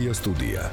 Media Studia.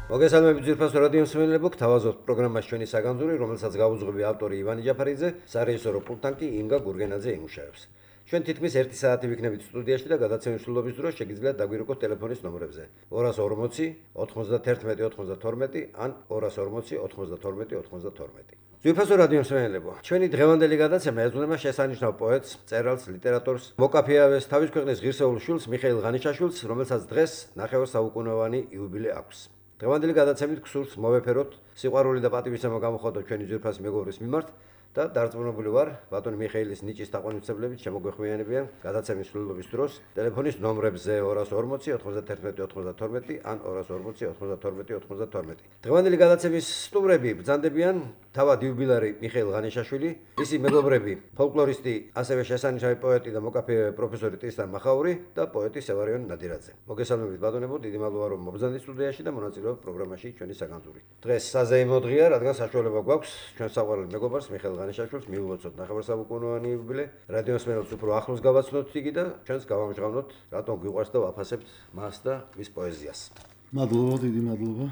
მოგესალმებით ძვირფასო რადიო მსმენელებო, გთავაზობთ პროგრამას ჩვენი საგანძური, რომელსაც გავუძღვები ავტორი ივანე ჯაფარიძე, სარეჟისორო პულტთან კი ინგა გურგენაძე იმუშავებს. ჩვენ თითქმის 1 საათი ვიქნებით სტუდიაში და გადაცემის სრულობის დროს შეგიძლიათ დაგვირეკოთ ტელეფონის ნომრებზე 240 91 92 ან 240 92 92. ძვირფასო რადიო მსმენელებო, ჩვენი დღევანდელი გადაცემა ეძღვნება შესანიშნავ პოეტს, მწერალს, ლიტერატორს, მოკაფიავეს, თავის ქვეყნის ღირსეულ შვილს მიხეილ ღანიშაშვილს, რომელსაც დღეს 9 საუკუნოვანი იუბილე აქვს. დღევანდელი გადაცემით გსურს მოვეფეროთ სიყვარული და პატივისცემა გამოხატოთ ჩვენი ძვირფასი მეგობრის მიმართ და დარწმუნებული ვარ, ბატონი მიხეილის ნიჭის თაყვანისმცემლებით შემოგვეხვიანებიან გადაცემის სრულობის დროს ტელეფონის ნომრებზე 240 91 92 ან 240 92 92. დღევანდელი გადაცემის სტუმრები ბრძანდებიან თავად იუბილარი მიხეილ ღანიშაშვილი, მისი მეგობრები, ფოლკლორისტი, ასევე შესანიშნავი პოეტი და მოკაფიე პროფესორი ტრისტან მახაური და პოეტი სევარიონ ნადირაძე. მოგესალმებით ბატონებო, დიდი მადლობა რომ მობრძანდით სტუდიაში და მონაწილეობთ პროგრამაში ჩვენი საგანძური. დღეს საზეიმო დღეა, რადგან საშუალება გვაქვს ჩვენ საყვარელ მეგობარს მიხეილ ღანიშაშვილს მიულოცოთ 9 საუკუნოვანი იუბილე. რადიო მსმენელს უფრო ახლოს გავაცნოთ იგი და ჩვენს გავამჟღავნოთ, რატომ გვიყვარს და ვაფასებთ მას და მის პოეზიას. მადლობა, დიდი მადლობა.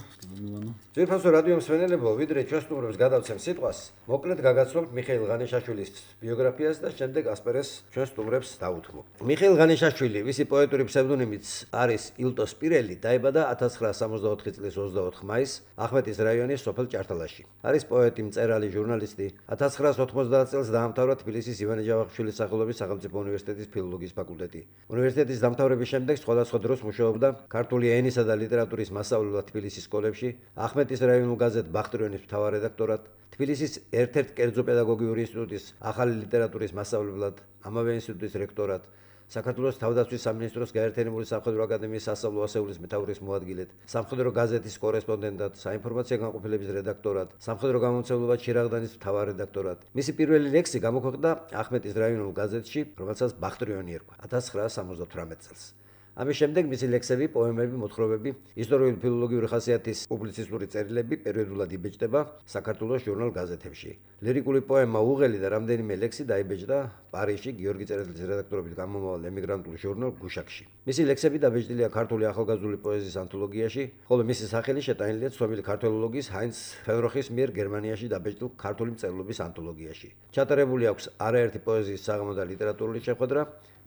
ძვირფასო რადიო მსმენელებო, ვიდრე ჩვენ სტუმრებს გადავცემ სიტყვას, მოკლედ გაგაცნობთ მიხეილ ღანიშაშვილის ბიოგრაფიას და შემდეგ ასპერეს ჩვენ სტუმრებს დაუთმობ. მიხეილ ღანიშაშვილი, ვისი პოეტური ფსევდონიმიც არის ილტოს პირელი, დაიბადა 1964 წლის 24 მაისს ახმეტის რაიონის სოფელ ჭართალაში. არის პოეტი, მწერალი, ჟურნალისტი. 1990 წელს დაამთავრა თბილისის ივანე ჯავახიშვილის სახელობის სახელმწიფო უნივერსიტეტის ფილოლოგიის ფაკულტეტი. უნივერსიტეტის დამთავრების შემდეგ სხვადასხვა დროს მუშაობდა ქართული ენისა და ლიტერატურის მასწავლებლად თბილისის სკოლებში, ახმეტის რაიონულ გაზეთ ბახტრიონის მთავარ რედაქტორად, თბილისის ერთ-ერთ კერძო პედაგოგიური ინსტიტუტის ახალი ლიტერატურის მასწავლებლად, ამავე ინსტიტუტის რექტორად, საქართველოს თავდაცვის სამინისტროს გაერთიანებული სამხედრო აკადემიის სასწავლო ასეულის მეთაურის მოადგილედ, სამხედრო გაზეთის კორესპონდენტად, საინფორმაციო განყოფილების რედაქტორად, სამხედრო გამომცემლობა ჩირაღდანის მთავარ რედაქტორად. მისი პირველი ლექსი გამოქვეყნდა ახმეტის რაიონულ გაზეთში, რომელსაც ბახტრიონი ერქვა 1978 წელს. ამის შემდეგ მისი ლექსები, პოემები, მოთხრობები, ისტორიული ფილოლოგიური ხასიათის პუბლიცისტური წერილები პერიოდულად იბეჭდება საქართველოს ჟურნალ გაზეთებში. ლირიკული პოემა უღელი და რამდენიმე ლექსი დაიბეჭდა პარიზში გიორგი წერეთლის რედაქტორობით გამომავალ ემიგრანტულ ჟურნალ გუშაკში. მისი ლექსები დაბეჭდილია ქართული ახალგაზრდული პოეზიის ანთოლოგიაში, ხოლო მისი სახელი შეტანილია ცნობილი ქართველოლოგის ჰაინც ფენროხის მიერ გერმანიაში დაბეჭდილ ქართული მწერლობის ანთოლოგიაში. ჩატარებული აქვს არაერთი პოეზიის საღამო და ლიტერატურული შეხვედრა,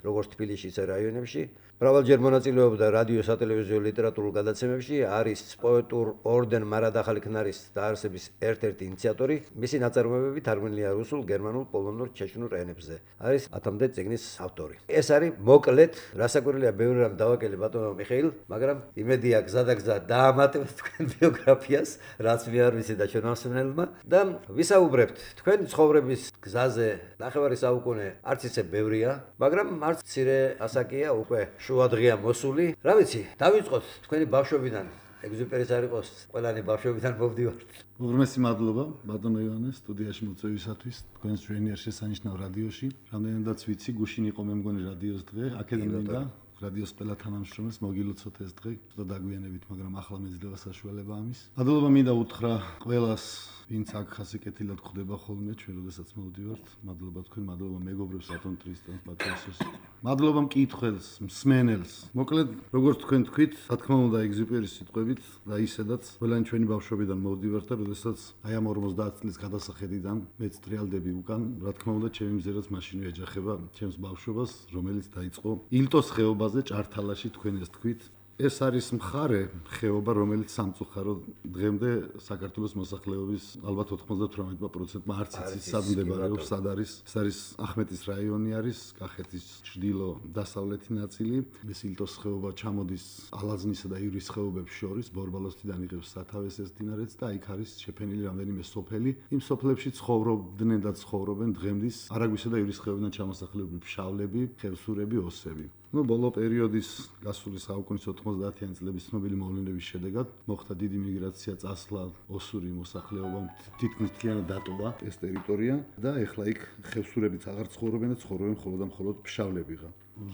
როგორც თბილისში, ისე რაიონებში. მრავალჯერ მონაწილეობდა რადიო, სატელევიზიო, ლიტერატურულ გადაცემებში, არის პოეტურ ორდენ მარად ახალი ქნარის დაარსების ერთ-ერთი ინიციატორი. მისი ნაწარმოებები თარგმნილია რუსულ, გერმანულ, პოლონურ, ჩეჩნურ ენებზე. არის 10-მდე წიგნის ავტორი. ეს არის მოკლედ, რასაკვირველია, ბევრი რამ დავაკელე ბატონო მიხეილ, მაგრამ იმედი აქვს გზადაგზა დაამატებთ თქვენ ბიოგრაფიას, რაც მე არ ვიცი და ჩვენ ამსმენელმა და ვისაუბრებთ თქვენ ცხოვრების გზაზე. 9 საუკუნე არც ისე ბევრია, მაგრამ არც მცირე ასაკია უკვე შუადღეა მოსული. რა ვიცი, დავიწყოთ თქვენი ბავშვობიდან. ეგზუპერის არ იყოს, ყველანი ბავშვობიდან მოვდივართ. უღრმესი მადლობა ბატონო ივანე სტუდიაში მოწვევისათვის, თქვენს ჟენიერ შესანიშნავ რადიოში. რამდენადაც ვიცი, გუშინ იყო მე მგონი რადიოს დღე, აქედან და რადიოს ყველა თანამშრომელს მოგილოცოთ ეს დღე, და დაგვიანებით, მაგრამ ახლა მეძლევა საშუალება ამის. მადლობა მინდა უთხრა ყველას, ვინც აქ ხასიკეთილად ხვდება ხოლმე, ჩვენ როდესაც მოვდივართ. მადლობა თქვენ, მადლობა მეგობრებს, ბატონ ტრისტანს, პატრიოსს. მადლობა მკითხველს, მსმენელს. მოკლედ, როგორც თქვენ თქვით, რა თქმა უნდა, ეგზუპერის სიტყვებით და ისედაც ყველანი ჩვენი ბავშვობიდან მოვდივართ და როდესაც აი ამ 50 წლის გადასახედიდან მეც ტრიალდები უკან, რა თქმა უნდა, ჩემი მზერაც მაშინვე ეჯახება ჩემს ბავშვობას, რომელიც დაიწყო ილტოს ხეობაზე ჭართალაში, თქვენ ეს თქვით. ეს არის მხარე, ხეობა, რომელიც სამწუხაროდ დღემდე საქართველოს მოსახლეობის ალბათ 98%-მა არც იცის სად მდებარეობს, სად არის. ეს არის ახმეტის რაიონი არის, კახეთის ჩრდილო-დასავლეთი ნაწილი. ეს ილტოს ხეობა ჩამოდის ალაზნისა და ივრის ხეობებს შორის, ბორბალოსთიდან იღებს სათავეს ეს მდინარეც და იქ არის შეფენილი რამდენიმე სოფელი. იმ სოფლებში ცხოვრობდნენ და ცხოვრობენ დღემდის არაგვისა და ივრის ხეობიდან ჩამოსახლებული ფშავლები, ხევსურები, ოსები. ბოლო პერიოდის გასული საუკუნის 90-იანი წლების ცნობილი მოვლენების შედეგად მოხდა დიდი მიგრაცია, წასვლა ოსური მოსახლეობამ, თითქმის მთლიანად დატოვა ეს ტერიტორია და ეხლა იქ ხევსურებიც აღარ ცხოვრობენ და ცხოვრობენ მხოლოდ და მხოლოდ ფშავლებიღა.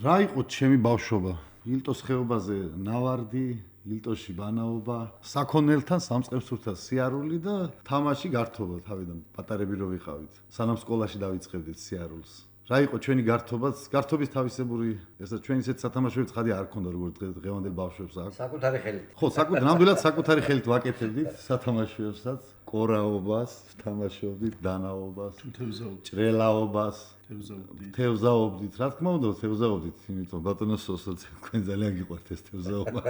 რა იყო ჩემი ბავშვობა? ილტოს ხეობაზე ნავარდი, ილტოში ბანაობა, საქონელთან სამწყებსურთა სიარული და თამაში გართობა თავიდან პატარები რო ვიყავით. სანამ სკოლაში დავიწყებდით სიარულს. რა იყო ჩვენი გართობაც, გართობის თავისებური, ესა ჩვენ ისეთ სათამაშოებს ხადი არ ქონდა როგორც დღევანდელ ბავშვებს აქვს. საკუთარი ხელით. ხო, ნამდვილად საკუთარი ხელით ვაკეთებდით სათამაშოებსაც, კორაობას, თამაშობდით, დანაობას, ჭრელაობას, თევზაობდით. რა თქმა უნდა, თევზაობდით, იმიტომ ბატონო სოსო თქვენ ძალიან გიყვართ ეს თევზაობა.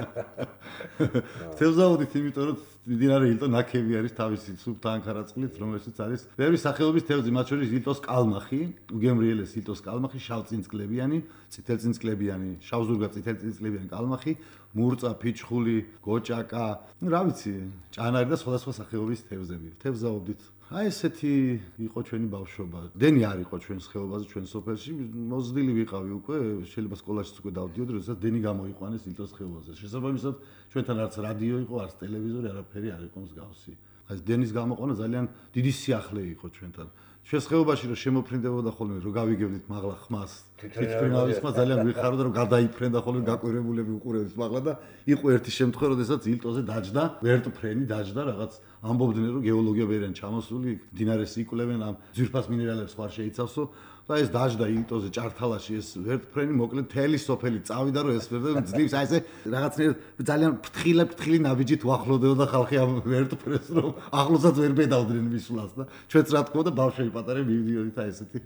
თევზაობდით, იმიტომ რომ მდინარე ილტო ნაკები არის თავისი სუბთანქარაწყლით, რომელშიც არის ბევრი სახეობის თევზი, მათ შორის ილტოს კალმახი, უგემრიელეს ილტოს კალმახი, შავწინწკლებიანი, წითელწინწკლებიანი, შავზურგა წითელწინწკლებიანი კალმახი, მურწა, ფიჩხული, გოჭაკა, რა ვიცი, ჭანარი და სხვადასხვა სახეობის თევზები. თევზაობდით. აი ესეთი იყო ჩვენი ბავშვობა. დენი არ იყო ჩვენს ხეობაზე, ჩვენ სოფელში, მოზრდილი ვიყავი უკვე, შეიძლება სკოლაშიც უკვე დავდიოდი, როდესაც დენი გამოიყვანეს ილტოს ხეობაზე. შესაბამისად, ჩვენთან არც რადიო იყო, არც ტელევიზორი, არაფერი არ იყო მსგავსი. აი დენის გამოყვანა ძალიან დიდი სიახლე იყო ჩვენთან. ჩვენს ხეობაში რომ შემოფრინდებოდა ხოლმე, რომ გავიგებდით მაღლა ხმას, თვითმფრინავის ხმა ძალიან ვიხარდა, რომ გადაიფრენდა ხოლმე გაკვირებულები უყურებდით მაღლა და იყო ერთი შემთხვევა, როდესაც ილტოზე დაჯდა, ვერტფრენი დაჯდა რაღაც ამბობდნენ რომ გეოლოგია ვერიან ჩამოსული, მდინარეს იკვლევენ ამ ძვირფას მინერალებს ხარ შეიცავსო და ეს დაჯდა ილტოზე ჭართალაში ეს ვერტფრენი მოკლედ თელი სოფელი წავიდა რომ ეს ვერტფრენი ძლივს აი ესე რაღაცნაირად ძალიან ფრთხილი ნაბიჯით უახლოვდებოდა ხალხი ამ ვერტფრენს რომ ახლოსაც ვერ ბედავდნენ მისვლას და ჩვენც რა თქმა უნდა ბავშვები პატარები მივიდიოდით აი ესეთი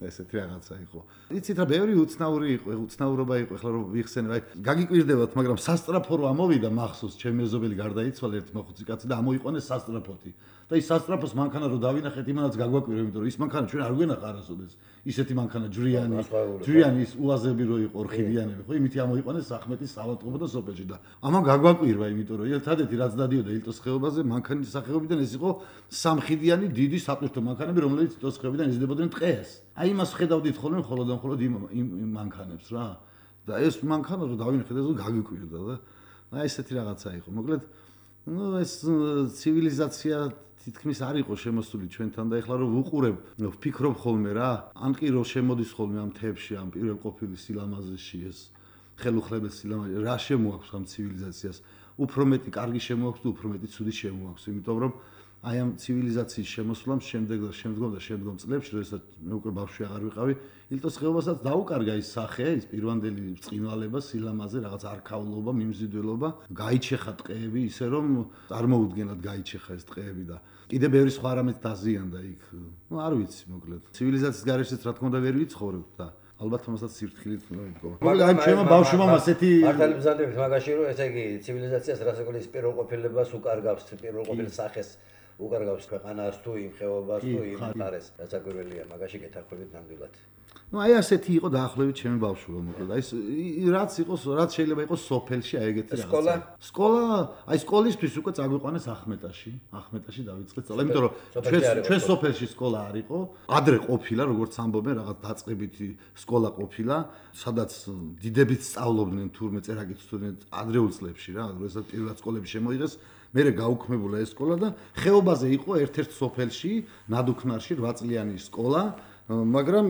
რაღაცა იყო. იცით რა ბევრი უცნაურობა იყო, ეხლა რომ ვიხსენებ, აი გაგიკვირდებათ, მაგრამ სასტრაფო რო ამოვიდა მახსოვს, ჩემი მეზობელი გარდაიცვალა ერთი მოხუცი კაცი და ამოიყვანეს სასტრაფოთი. და ის სასტრაფოს მანქანა რო დავინახეთ, იმანაც გაგვაკვირა, იმიტომ რომ ის მანქანა ჩვენ არ გვენახა არასოდეს. ისეთი მანქანა ჯვრიანი ის უაზები რო იყო ორხიდიანები, ხო, იმითი ამოიყვანეს ახმეტის ავადმყოფო და სოფელში და ამან გაგვაკვირა, იმიტომ რომ ერთადერთი რაც დადიოდა ილტოს ხეობაზე, მანქანის სახეობიდან ეს იყო სამხიდიანი დიდი საპირთო მანქანები, რომლებიც ილტოს ხეობიდან იზრდებოდნენ ტყეს. აი იმას ხედავდით ხოლმე მხოლოდ იმ მანქანებს რა. და ეს მანქანა რო დავინახეთ, ეს გაგვიკვირდა და აი ესეთი რაღაცა იყო. მოკლედ, ეს ცივილიზაცია თითქმის არ იყო შემოსული ჩვენთან და ეხლა რომ ვუყურებ, ვფიქრობ ხოლმე რა, ან კი რომ შემოდის ხოლმე ამ თებში, ამ პირველ ყოფილი სილამაზეში ეს ხელუხლებელ სილამაზე, რა შემოაქვს ამ ცივილიზაციას? უფრო მეტი კარგი შემოაქვს თუ უფრო მეტი ცუდი შემოაქვს, იმიტომ რომ აი ამ ცივილიზაციის შემოსვლამ შემდგომ წლებში, როდესაც მე უკვე ბავშვი აღარ ვიყავი, ილტოს ხეობასაც დაუკარგა ის სახე, ის პირვანდელი ბრწყინვალება, სილამაზე, რაღაც არქაულობა, მიმზიდველობა, გაიჩეხა ტყეები, ისე რომ წარმოუდგენლად გაიჩეხა ეს ტყეები და კიდე ბევრი სხვა რამეთ დაზიანდა იქ. ნუ არ ვიცი, მოკლედ. ცივილიზაციის გარეშეც რა თქმა უნდა ვერ ვიცხოვრებ და ალბათ ამასაც სირთქილით მოვიდგომა. მაგრამ აი ჩემო ბავშვობამ ასეთი მართალი მზადებით მაგაში რომ ესე იგი ცივილიზაციას რასაკვირველია პირველყოფილებას უკარგავს, პირველყოფილ სახეს უკარგავს ქვეყანას თუ იმ ხეობას თუ იმ მხარეს, რასაკვირველია მაგაში გეთანხმებით ნამდვილად. ნუ აი ასეთი იყო დაახლოებით ჩემი ბავშვობა, მოკლედ. აი რაც შეიძლება იყოს სოფელში აი ეგეთი რაღაცა. სკოლა, აი სკოლისთვის უკვე წაგვიყვანეს ახმეტაში დავიწყეთ სწავლა, იმიტომ რომ ჩვენ სოფელში სკოლა არ იყო, ადრე ყოფილა, როგორც ამბობენ, რაღაც დაწყებითი სკოლა ყოფილა, სადაც დიდებით სწავლობდნენ თურმე წერა-კითხვა სტუდენტ ადრეულ წლებში რა, როდესაც პირველად სკოლები შემოიღეს. მერე გაუქმებულა ეს სკოლა და ხეობაზე იყო ერთ-ერთ სოფელში, ნადუქნარში 8 წლიანი სკოლა, მაგრამ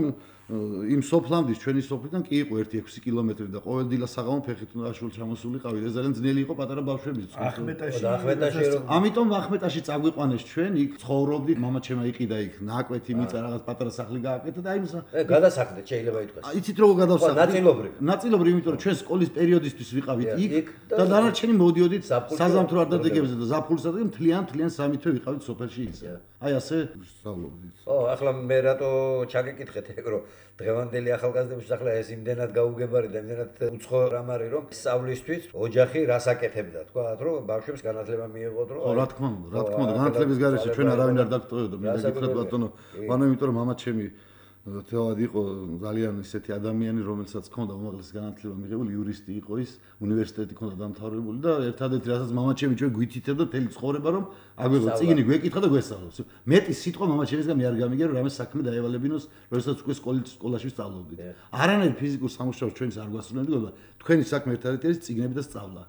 იმ სოფლამდე ჩვენი სოფლიდან კი იყო 1-6 კილომეტრი და ყოველ დილა საღამო ფეხით უნდა შულ ჩამოსულიყავი. ეს ძალიან ძნელი იყო პატარა ბავშვების. ახმეტაში რომ ამიტომ ახმეტაში წაგვიყვანეს ჩვენ, იქ ცხოვრობდით, მამაჩემა იყიდა იქ ნაკვეთი მიწა რაღაც პატარა სახლი გააკეთა და აი მის გადასახლდეთ შეიძლება ითქვას. იცით როგორ გადავსახლდით? ნაწილობრივ, იმიტომ რომ ჩვენ სკოლის პერიოდისთვის ვიყავით იქ და დანარჩენი მოდიოდით საზამთრო არდადეგებზე და ზაფხულსა და მთლიან სამი თვე ვიყავით სოფელში ისე. აი ასე ვსწავლობდით. ახლა მე რატო ჩაგეკითხეთ ეგ რომ დღევანდელი ახალგაზრდების ახლა ეს იმდენად გაუგებარი და იმდენად უცხო რამ არის რომ სწავლისთვის ოჯახი რას აკეთებდა თქვათ რომ ბავშვებს განათლება მიიღოთ რომ რა თქმა უნდა განათლების გარეშე ჩვენ არავინ არ დაგტოვებდა მე გითხრათ ბატონო ანუ იმიტომ რომ მამაჩემი თეორად იყო ძალიან ისეთი ადამიანი რომელსაც ჰქონდა უმაღლესი განათლება მიღებული იურისტი იყო ის უნივერსიტეტი ჰქონდა დამთავრებული და ერთადერთი რასაც მამაჩემი ჩვენ გვითითებდა მთელი ცხოვრება რომ აგვიღო წიგნი გვეკითხა და გვესწავლოს მეტი სიტყვა მამაჩემისგან მე არ გამიგე რომ რამე საქმე დაევალებინოს როდესაც უკვე სკოლაში სწავლობდით არანაირ ფიზიკურ სამუშაოს ჩვენს არ გვასრულებდა თქვენი საქმე ერთადერთი არის წიგნები და სწავლა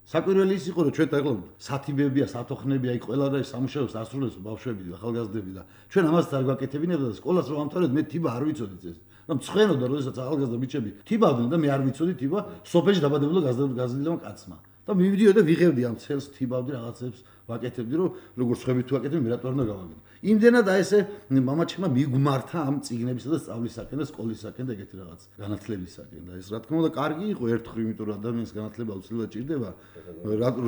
საკვირველი ის იყო რომ ჩვენ ახლა სათიბებია, სათოხნებია, იქ ყველა და სამუშაოს ასრულებს ბავშვები და ახალგაზრდები და ჩვენ ამასაც არ გვაკეთებინებდა და სკოლას რომ ამთავრეთ მე თიბა არ ვიცოდით ეს. და მცხენოდა როდესაც ახალგაზრდა ბიჭები თიბავდნენ და მე არ ვიცოდი თიბა სოფელში დაბადებულა გაზრდილმა კაცმა. და მივიდიო და ვიღებდი ამ ცელს, თიბავდი რაღაცებს, ვაკეთებდი, რომ როგორ სხვები თუ აკეთებენ, მე რატო არ უნდა გავაკეთო. იმდენად აი ესე მამაჩემა მიგმართა ამ წიგნებისა და სწავლისაკენ და სკოლისაკენ და ეგეთი რაღაც განათლებისაკენ და ეს რა თქმა უნდა კარგი იყო ერთხელ, იმიტომ რომ ადამიანის განათლება უცვლელად ჭირდება.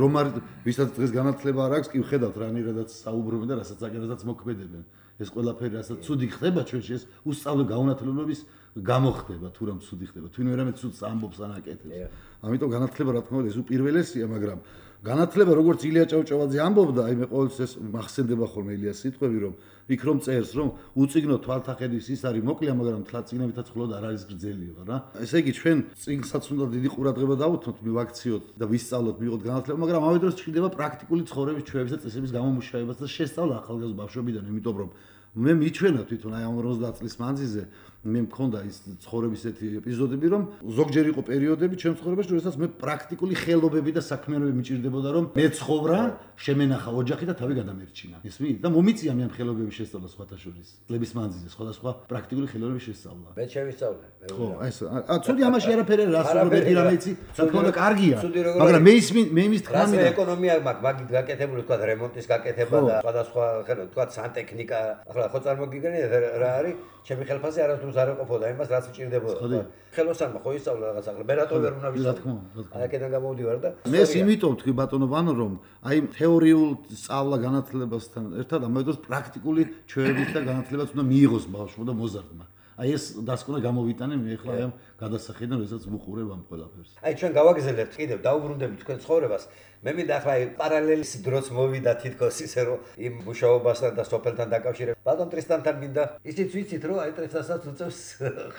რომ არ ვისაც დღეს განათლება არ აქვს, კი ვხედავთ რანაირადაც საუბრობენ და რასაც აკეთებენ, მოქმედებენ. ეს ყველაფერი რასაც ცუდი ხდება ჩვენში ეს უსწავლო გაუნათლებლობის გამოხდება თუ რამ ცუდი ხდება. თუ ვინმე ცუდს ამბობს ან აკეთებს. ამიტომ განათლება რა თქმა უნდა ეს უპირველესია, მაგრამ განათლება როგორც ილია ჭავჭავაძე ამბობდა, აი მე ყოველთვის ეს მახსენდება ხოლმე ილიას სიტყვები, რომ იქ რომ წერს, რომ უწიგნო თვალთახედვის ის არის მოკლია, მაგრამ თლა წიგნებითაც მხოლოდ არ არის გრძელია რა. ესე იგი ჩვენ წიგნსაც უნდა დიდი ყურადღება დავუთმოთ, მივაქციოთ და ვისწავლოთ, მიიღოთ განათლება, მაგრამ ამავე დროს ჩნდება პრაქტიკული ცხოვრების ჩვევების და წესების გამომუშავებაც და შესწავლა ახალგაზრდა ბავშვებიდან, იმიტომ რომ მე მიჩვენა თვითონ აი ამ 50 წლის მანძილზე მე მქონდა ის ცხოვრების ესეთი ეპიზოდები, რომ ზოგჯერ იყო პერიოდები ჩემს ცხოვრებაში, როდესაც მე პრაქტიკული ხელობები და საქმიანობები მიჭირდებოდა, რომ მე ცხოვრა, შემენახა ოჯახი და თავი გადამერჩინა. ისმით? და მომიწია მე ამ ხელობების შესწავლა სხვათა შორის. წლების მანძილზე სხვადასხვა პრაქტიკული ხელობების შესწავლა. მე შევისწავლე. ხო, აი ეს ცუდი ამაში არაფერი არ ასწავლე, მეტი რამე იცი, თქო და კარგია. მაგრამ მე იმის თქმა მინდა ეკონომია მაქვს, მაგით გაკეთებული თქვა რემონტის გაკეთება და სხვადასხვა ხელო თქვა სანტექნიკა, ახლა ხო წარმოგიდგენია რა არის? ჩემი ხელფასი არასდროს არ ეყოფოდა იმას, რაც მჭირდებოდა. ხელოსანმა ხო ისწავლა რაღაც ახლა მე რატო ვერ უნდა ვისწავლო? აი აქედან გამოვდივარ და მე იმიტომ თქვი ბატონო ვანო, რომ აი თეორიულ სწავლა განათლებასთან ერთად ამავე დროს პრაქტიკული ჩვევების და განათლებაც უნდა მიიღოს ბავშვმა და მოზარდმა. აი ეს დასკვნა გამოვიტანე მე ახლა აი ამ გადასახედიდან, როდესაც ვუყურებ ამ ყველაფერს. აი ჩვენ გავაგზავნებთ კიდევ დაუბრუნდებით თქვენ ცხოვრებას. მე მინდა ახლა აი პარალელის დროს მოვიდა თითქოს ისე რომ იმ მუშაობასთან და სოფელთან დაკავშირებით. ბატონ ტრისტანთან მინდა ისიც ვიცით რომ აი ტრისტანსაც უწევს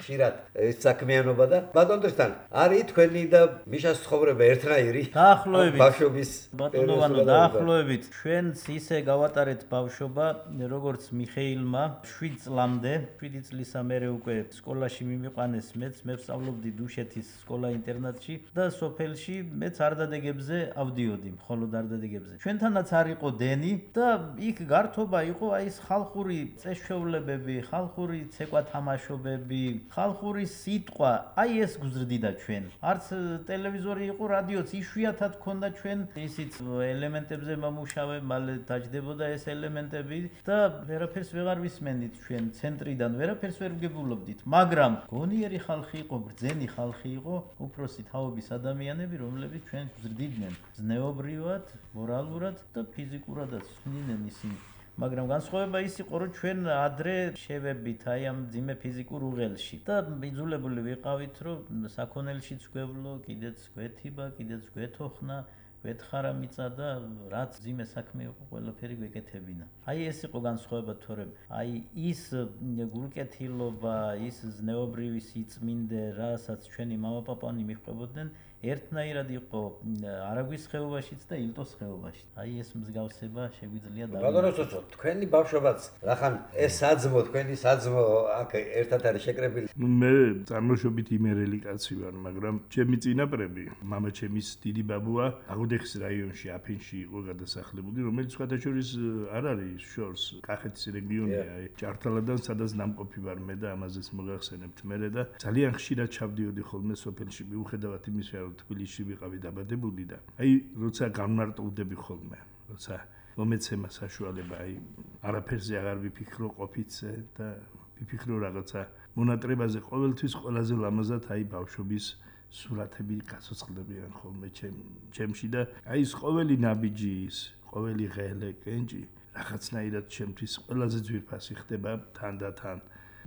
ხშირად ეს საქმიანობა და ბატონ ტრისტან არის თქვენი და მიშას ცხოვრება ერთნაირი? დაახლოებით ბავშვობის ბატონოვანო დაახლოებით ჩვენც ისე გავატარეთ ბავშვობა როგორც მიხეილმა 7 წლამდე 7 წლისა მერე უკვე სკოლაში მიმიყვანეს მეც მე ვსწავლობდი დუშეთის სკოლა ინტერნატში და სოფელში მეც არდადეგებზე ავდიოდი მხოლოდ არდადეგებზე ჩვენთანაც არ იყო დენი და იქ გართობა იყო აი ეს ხალხური წესჩვეულებები ხალხური ცეკვა თამაშობები ხალხური სიტყვა აი ეს გზრდიდა ჩვენ არც ტელევიზორი იყო რადიოც იშვიათად ქონდა ჩვენ ისიც ელემენტებზე მომუშავე მალე დაждდებოდა ეს ელემენტები და ვერაფერს ვეღარ ვისმენდით ჩვენ ცენტრიდან ვერაფერს ვერ ვგებულობდით მაგრამ გონიერი ხალხი იყო ბრძენი ხალხი იყო უფროსი თაობის ადამიანები რომლებიც ჩვენ გზრდიდნენ ზნეობრივად მორალურად და ფიზიკურადაც სვლიდნენ ისინი მაგრამ განსხვავება ის იყო რომ ჩვენ ადრე შევებით აი ამ ძიმე ფიზიკურ უღელში და იძულებული ვიყავით რომ საქონელშიც გვევლო კიდეც გვეთიბა კიდეც გვეთოხნა გვეთხარა მიწა და რაც ძიმე საქმე იყო ყველაფერი გვეკეთებინა აი ეს იყო განსხვავება თორემ აი ის გულკეთილობა ის ზნეობრივი სიწმინდე რასაც ჩვენი მამაპაპანი მიჰყვებოდნენ ერთნაირად იყო არაგვის ხეობაშიც და ილტოს ხეობაში. აი ეს მსგავსება შეგვიძლია დავიწყოთ. თქვენი ბავშვობაც, რახან ეს საძმო, თქვენი საძმო აქ ერთად არის შეკრებილი. მე წარმოშობით იმერელი კაცი ვარ, მაგრამ ჩემი წინაპრები, მამაჩემის დიდი ბაბუა აღუდეხის რაიონში, აფინში იყო გადასახლებული, რომელიც სხვადასხვა არ არის შორს, კახეთის რეგიონია, აი ჭართალადან სადაც ნამყოფი ვარ მე და ამაზეც მოგახსენებთ მე და ძალიან ხშირად ჩავდიოდი ხოლმე სოფელში, მიუხედავად იმისა, რომ თბილისში ვიყავი დაბადებული და აი როცა განმარტოვდები ხოლმე როცა მომეცემა საშუალება აი არაფერზე აღარ ვიფიქრო ყოფიცე და ვიფიქრო რაღაცა მონატრებაზე ყოველთვის ყველაზე ლამაზად აი ბავშვობის სურათები გასოცხლდებიან ხოლმე ჩემში და აი ეს ყოველი ნაბიჯი ის ყოველი ღელე კენჭი რაღაცნაირად ჩემთვის ყველაზე ძვირფასი ხდება თანდათან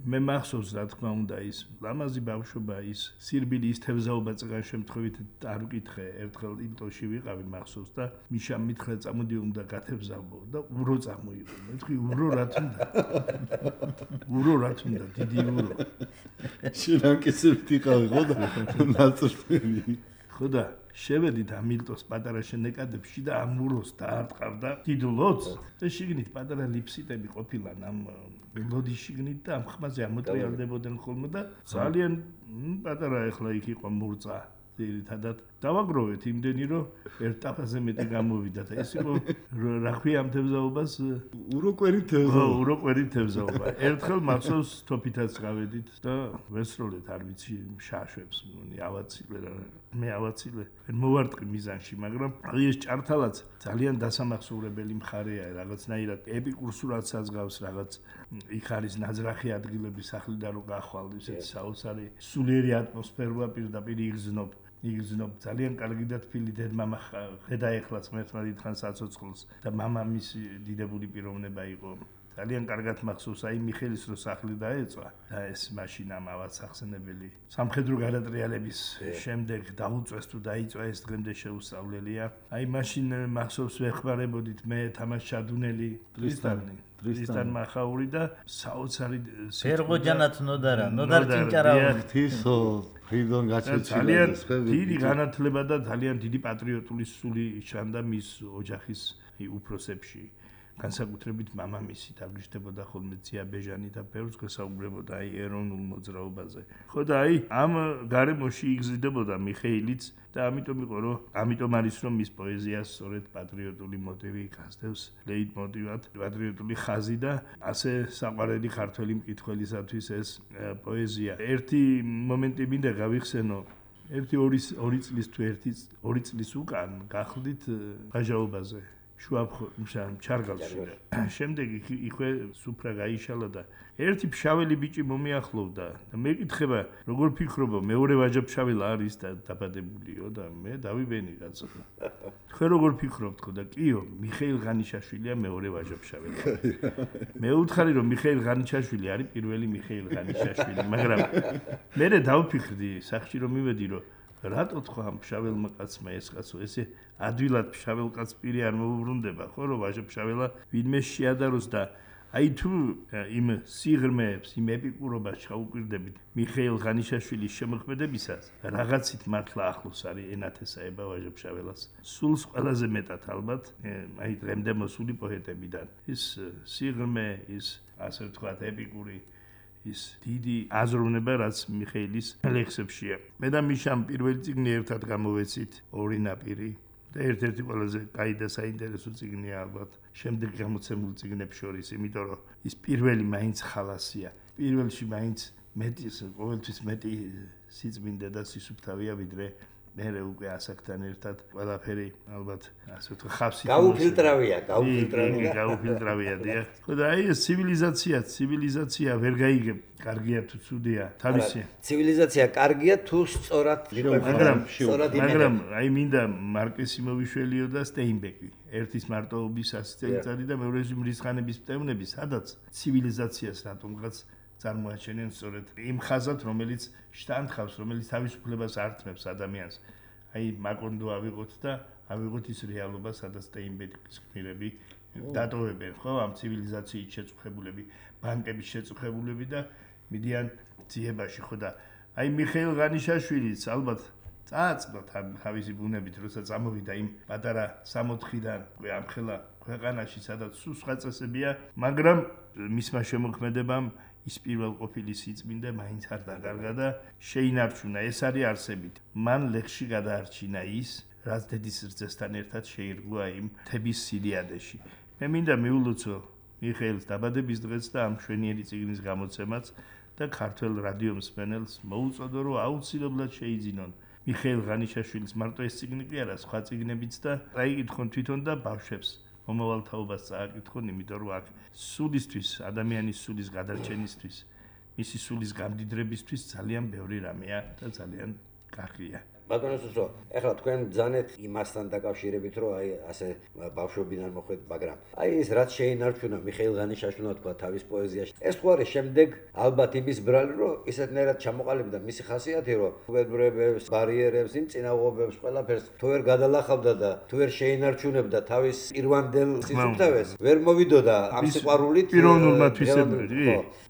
მე მახსოვს რა თქმა უნდა ის ლამაზი ბავშვობა ის სირბილი ის თევზაობა წეგან შემთხვევით არ ვკითხე ერთხელ ილტოში ვიყავი მახსოვს და მიშამ მითხრა წამოდი უნდა გათევზავო და ურო წამოიღო მე თქვი ურო რა თუნდა დიდი ურო შენაკისებთ იყავი ხო და ნაწრფელი ხო და შევედით ამ ილტოს პატარა შენეკადებში და ამ უროს დაარტყავდა დიდლოც და შიგნით პატარა ლიფსიტები ყოფილან ამ ლოდის შიგნით და ამ ხმაზე ამოტრიალდებოდნენ ხოლმე და ძალიან პატარა ეხლა იქ იყო მურწა ძირითადად დავაგროვეთ იმდენი რომ ერთ ტაფაზე მეტი გამოვიდა და ეს იყო რა ქვია ამ თევზაობას უროკვერი თევზაობა ერთხელ მახსოვს თოფითაც გავედით და ვესროლეთ არ ვიცი შაშვებს მგონი ავაცილე რა მე ავაცილე მოვარტყი მიზანში მაგრამ ეს ჭართალაც ძალიან დასამახსოვრებელი მხარეა რაღაცნაირად ეპიკურ სურათსაც გავს რაღაც იქ არის ნაძრახი ადგილები სახლიდან რო გახვალ ისეთი საოცარი სულიერი ატმოსფეროა პირდაპირ იგრძნობ ძალიან კარგი და თბილი დედმამა ხედაეხლაც მერტმად ითხან საცოცხლოს და მამამისი დიდებული პიროვნება იყო ძალიან კარგად მახსოვს აი მიხელის რო სახლი დაეწვა და ეს მაშინ ამავაც ახსენებელი სამხედრო გადატრიალების შემდეგ დაუწეს თუ დაიწვა ეს დღემდე შეუსწავლელია აი მაშინ მახსოვს ვეხმარებოდით მე თამაშ ჩადუნელი ტრისტან მახაური და საოცარი ფერღოჯანაც ნოდარ ჭინჭარავი თისო ფრიდონ გაჩეჩილა დიდი განათლება და ძალიან დიდი პატრიოტული სული ჩანდა მის ოჯახის უფროსებში განსაკუთრებით მამამისი დაგიჟდებოდა ხოლმე ძიაბეჟანი და ბევრს გასაუბრებოდა აი ეროვნულ მოძრაობაზე. ხო და აი ამ გარემოში იგზნდებოდა მიხეილიც და ამიტომ არის რომ მის პოეზიას სწორედ პატრიოტული მოტივი გასდევს ლეიტმოტივად, პატრიოტული ხაზი და ასე საყვარელი ქართველი მკითხველისათვის ეს პოეზია. ერთი მომენტი მინდა გავიხსენო ორი წლის თუ ორი წლის უკან გახლდით გაჟაობაზე ჩარგალში. შემდეგ იქვე სუფრა გაიშალა და ერთი ფშაველი ბიჭი მომიახლოვდა და მეკითხება როგორ ფიქრობ მეორე ვაჟა-ფშაველა არის და დაბადებულიო და მე დავიბენი კაცო. თქვენ როგორ ფიქრობთ ხო და კიო მიხეილ ღანიშაშვილია მეორე ვაჟა-ფშაველა. მე უთხარი რომ მიხეილ ღანიშაშვილი არის პირველი მიხეილ ღანიშაშვილი მაგრამ მე დავფიქრდი სახში რომ მივედი რომ რატო თქვა ამ ფშაველმა კაცმა ეს კაცო ესე ადვილად ფშაվել კაც პირი არ მოუბრუნდება ხო რომ ვაჟა-ფშაველა ვინმე შეადაროს და აი თუ იმ სიღრმეებს იმ ეპიკურობას ჩაუკვირდებით მიხეილ ღანიშაშვილის შემოქმედებისას რაღაცით მართლა ახლოს არის ენათესაება ვაჟა-ფშაველას სულს ყველაზე მეტად ალბათ აი დღემდე მოსული პოეტებიდან ის სიღრმე ის ასე ვთქვათ ეპიკური ის დიდი აზროვნება რაც მიხეილის ლექსებშია. მე და მიშამ პირველი წიგნი ერთად გამოვეცით ორი ნაპირი და ერთ-ერთი ყველაზე კაი და საინტერესო წიგნია ალბათ შემდეგ გამოცემულ წიგნებს შორის, იმიტომ რომ ის პირველი მაინც ხალასია. პირველში მაინც ყოველთვის მეტი სიწმინდე და სისუფთავია ვიდრე მე უკვე ასაკთან ერთად ყველაფერი ალბათ ასე ვთქვათ ხავსი გაუფილტრავია დიახ. ხო და აი ეს ცივილიზაცია ვერ გაიგებ კარგია თუ ცუდია თავისი ცივილიზაცია კარგია თუ სწორად მაგრამ აი მინდა მარკესი მოვიშველიო და სტეინბეკი ერთის მარტოობის 100 წელიწადი და მეორეში მრისხანების პტევნები სადაც ცივილიზაციას რატომღაც წარმოაჩენენ სწორედ იმ ხაზად რომელიც შტანდხავს რომელიც თავისუფლებას ართმევს ადამიანს აი მაკონდო ავიღოთ და ავიღოთ ის რეალობა სადაც სტეინბეკის გმირები დატოვებენ ხო ამ ცივილიზაციის შეწუხებულები ბანკების შეწუხებულები და მიდიან ძიებაში ხო და აი მიხეილ ღანიშაშვილიც ალბათ წააწყდა თავისი ბუნებით როცა წამოვიდა იმ პატარა 64-დან ამხელა ქვეყანაში სადაც სხვა წესებია მაგრამ მისმა შემოქმედებამ ის პირველ ყოფილი სიწმინდე მაინც არ დაკარგა და შეინარჩუნა ეს არის არსებით მან ლექსში გადაარჩინა ის რაც დედის რძესთან ერთად შეირგვა იმ თების სირიადეში მე მინდა მიულოცო მიხეილს დაბადების დღეს და ამ მშვენიერი წიგნის გამოცემაც და ქართველ რადიო მსმენელს მოუწოდო რომ აუცილებლად შეიძინონ მიხეილ ღანიშაშვილის მარტო ეს წიგნი კი არა სხვა წიგნებიც და წაიკითხონ თვითონ და ბავშვებს მომავალ თაობას წააკითხონ იმიტომ რომ აქ სულისთვის ადამიანის სულის გადარჩენისთვის მისი სულის გამდიდრებისთვის ძალიან ბევრი რამეა და ძალიან კარგია ბატონო სუსო, ეხლა თქვენ ბრძანეთ იმასთან დაკავშირებით, რომ აი ასე ბავშვობიდან მოხვედით, მაგრამ აი ეს რაც შეინარჩუნა მიხეილ ღანიშაშვილმა თქვა თავის პოეზიაში. ეს ხო არის შემდეგ ალბათ იმის ბრალი, რომ ისეთნაირად ჩამოყალიბდა მისი ხასიათი, რომ უბედურებებს, ბარიერებს, იმ წინააღმდეგობებს ყველაფერს თუ ვერ გადალახავდა და თუ ვერ შეინარჩუნებდა თავის პირვანდელ სიცოცხლეს, ვერ მოვიდოდა ამ სიყვარულით პიროვნულმა თვისებრივი.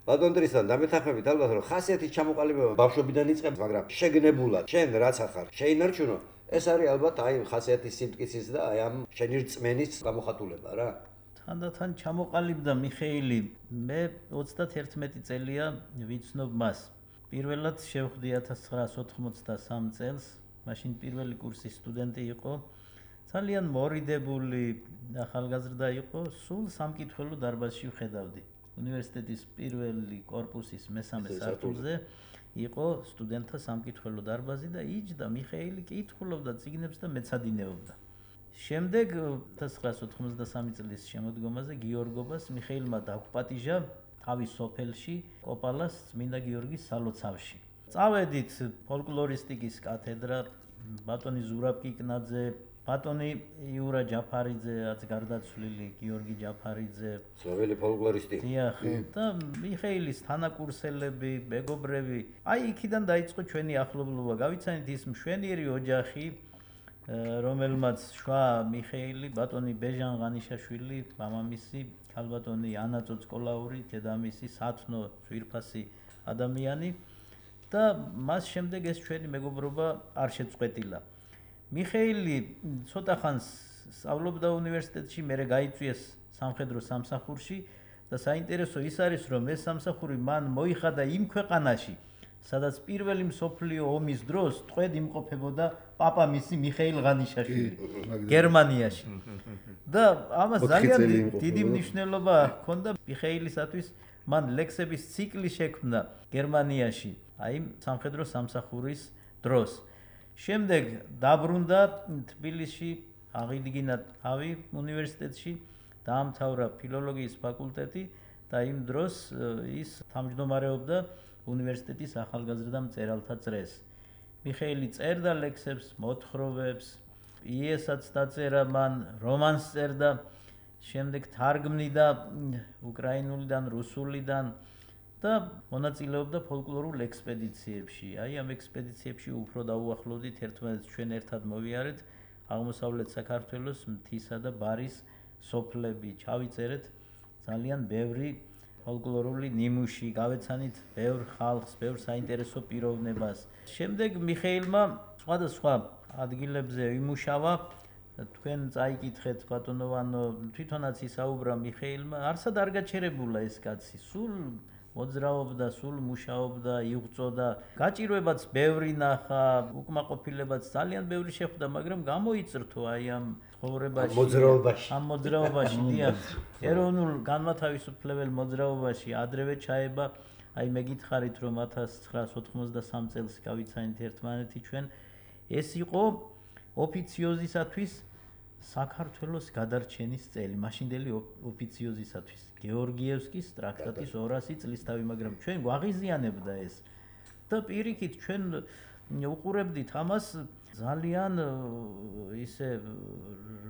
ბატონ ტრისთან დამეთანხმებით ალბათ რომ ხასიათის ჩამოყალიბება ბავშვობიდან იწყებს, მაგრამ შეგნებულად, შენ რაც ახარ შეინარჩუნო, ეს არის ალბათ აი ხასიათის სიმტკიცის და აი ამ შენი რწმენის გამოხატულება რა. თანდათან ჩამოყალიბდა მიხეილი, მე 31 წელია ვიცნობ მას. პირველად შევხვდი 1983 წელს მაშინ პირველი კურსის სტუდენტი იყო. ძალიან მორიდებული ახალგაზრდა იყო, სულ სამკითხველო დარბაზში ვხედავდი. უნივერსიტეტის პირველი კორპუსის მესამე სართულზე იყო სტუდენტთა სამკითხველო დარბაზი და იჯდა მიხეილი კითხულობდა წიგნებს და მეცადინეობდა. შემდეგ 1993 წლის შემოდგომაზე გიორგობას მიხეილმა დაგვპატიჟა თავის სოფელში კოპალას წმინდა გიორგის სალოცავში. წავედით ფოლკლორისტიკის კათედრა, ბატონი ზურაბ კიკნაძე, ბატონი იურა ჯაფარიძეაც გარდაცვლილი, გიორგი ჯაფარიძე, ცნობილი ფოლკლორისტი. დიახ, და მიხეილის თანაკურსელები, მეგობრები. აი იქიდან დაიწყო ჩვენი ახლობლობა. გავიცანით ის მშვენიერი ოჯახი, რომელმაც შვა მიხეილი, ბატონი ბეჟან ღანიშაშვილი, მამამისი, ქალბატონი ანა წოწკოლაური, დედამისი სათნო ძვირფასი ადამიანი და მას შემდეგ ეს ჩვენი მეგობრობა არ შეწყვეტილა. მიხეილი ცოტა ხანს სწავლობდა უნივერსიტეტში, მერე გაიწვიეს სამხედრო სამსახურში და საინტერესო ის არის, რომ ეს სამსახური მან მოიხადა იმ ქვეყანაში, სადაც პირველი მსოფლიო ომის დროს ტყვედ იმყოფებოდა პაპამისი მიხეილ ღანიშაშვილი გერმანიაში. და ამას ძალიან დიდი მნიშვნელობა ჰქონდა მიხეილისათვის, მან ლექსების ციკლი შექმნა გერმანიაში, აი სამხედრო სამსახურის დროს. შემდეგ დაბრუნდა თბილისში, აღიდგინა თავი უნივერსიტეტში, დაამთავრა ფილოლოგიის ფაკულტეტი და იმ დროს ის თავმჯდომარეობდა უნივერსიტეტის ახალგაზრდა მწერალთა წრეს. მიხეილი წერდა ლექსებს, მოთხრობებს, პიესაც დაწერა მან, რომანს წერდა, შემდეგ თარგმნიდა უკრაინულიდან, რუსულიდან და მონაწილეობდა ფოლკლორულ ექსპედიციებში. აი ამ ექსპედიციებში უფრო დაუახლოვდით ერთმანეთს, ჩვენ ერთად მოვიარეთ აღმოსავლეთ საქართველოს მთისა და ბარის სოფლები, ჩავიწერეთ ძალიან ბევრი ფოლკლორული ნიმუში, გავეცანით ბევრ ხალხს, ბევრ საინტერესო პიროვნებას. შემდეგ მიხეილმა სხვადასხვა ადგილებზე იმუშავა, თქვენ წაიკითხეთ ბატონოვანო, თვითონაც ისაუბრა მიხეილმა, არსად არ გაჩერებულა ეს კაცი, სულ მოძრაობდა, სულ მუშაობდა, იღწოდა, გაჭირვებაც ბევრი ნახა, უკმაყოფილებაც ძალიან ბევრი შეხვდა, მაგრამ გამოიწრთო აი ამ მოძრაობაში. ამ მოძრაობაში, დიახ, ეროვნულ განმათავისუფლებელ მოძრაობაში ადრევე ჩაება. აი მეკითხარით, რომ 1993 წელს გავიცანით ერთმანეთი ჩვენ, ეს იყო ოფიციოზისათვის საქართველოს გადარჩენის წელი, მაშინდელი ოფიციოზისათვის. გეორგიევსკის ტრაქტატის 200 წლისთავი, მაგრამ ჩვენ გვაღიზიანებდა ეს. და პირიქით ჩვენ უყურებდით ამას ძალიან ისე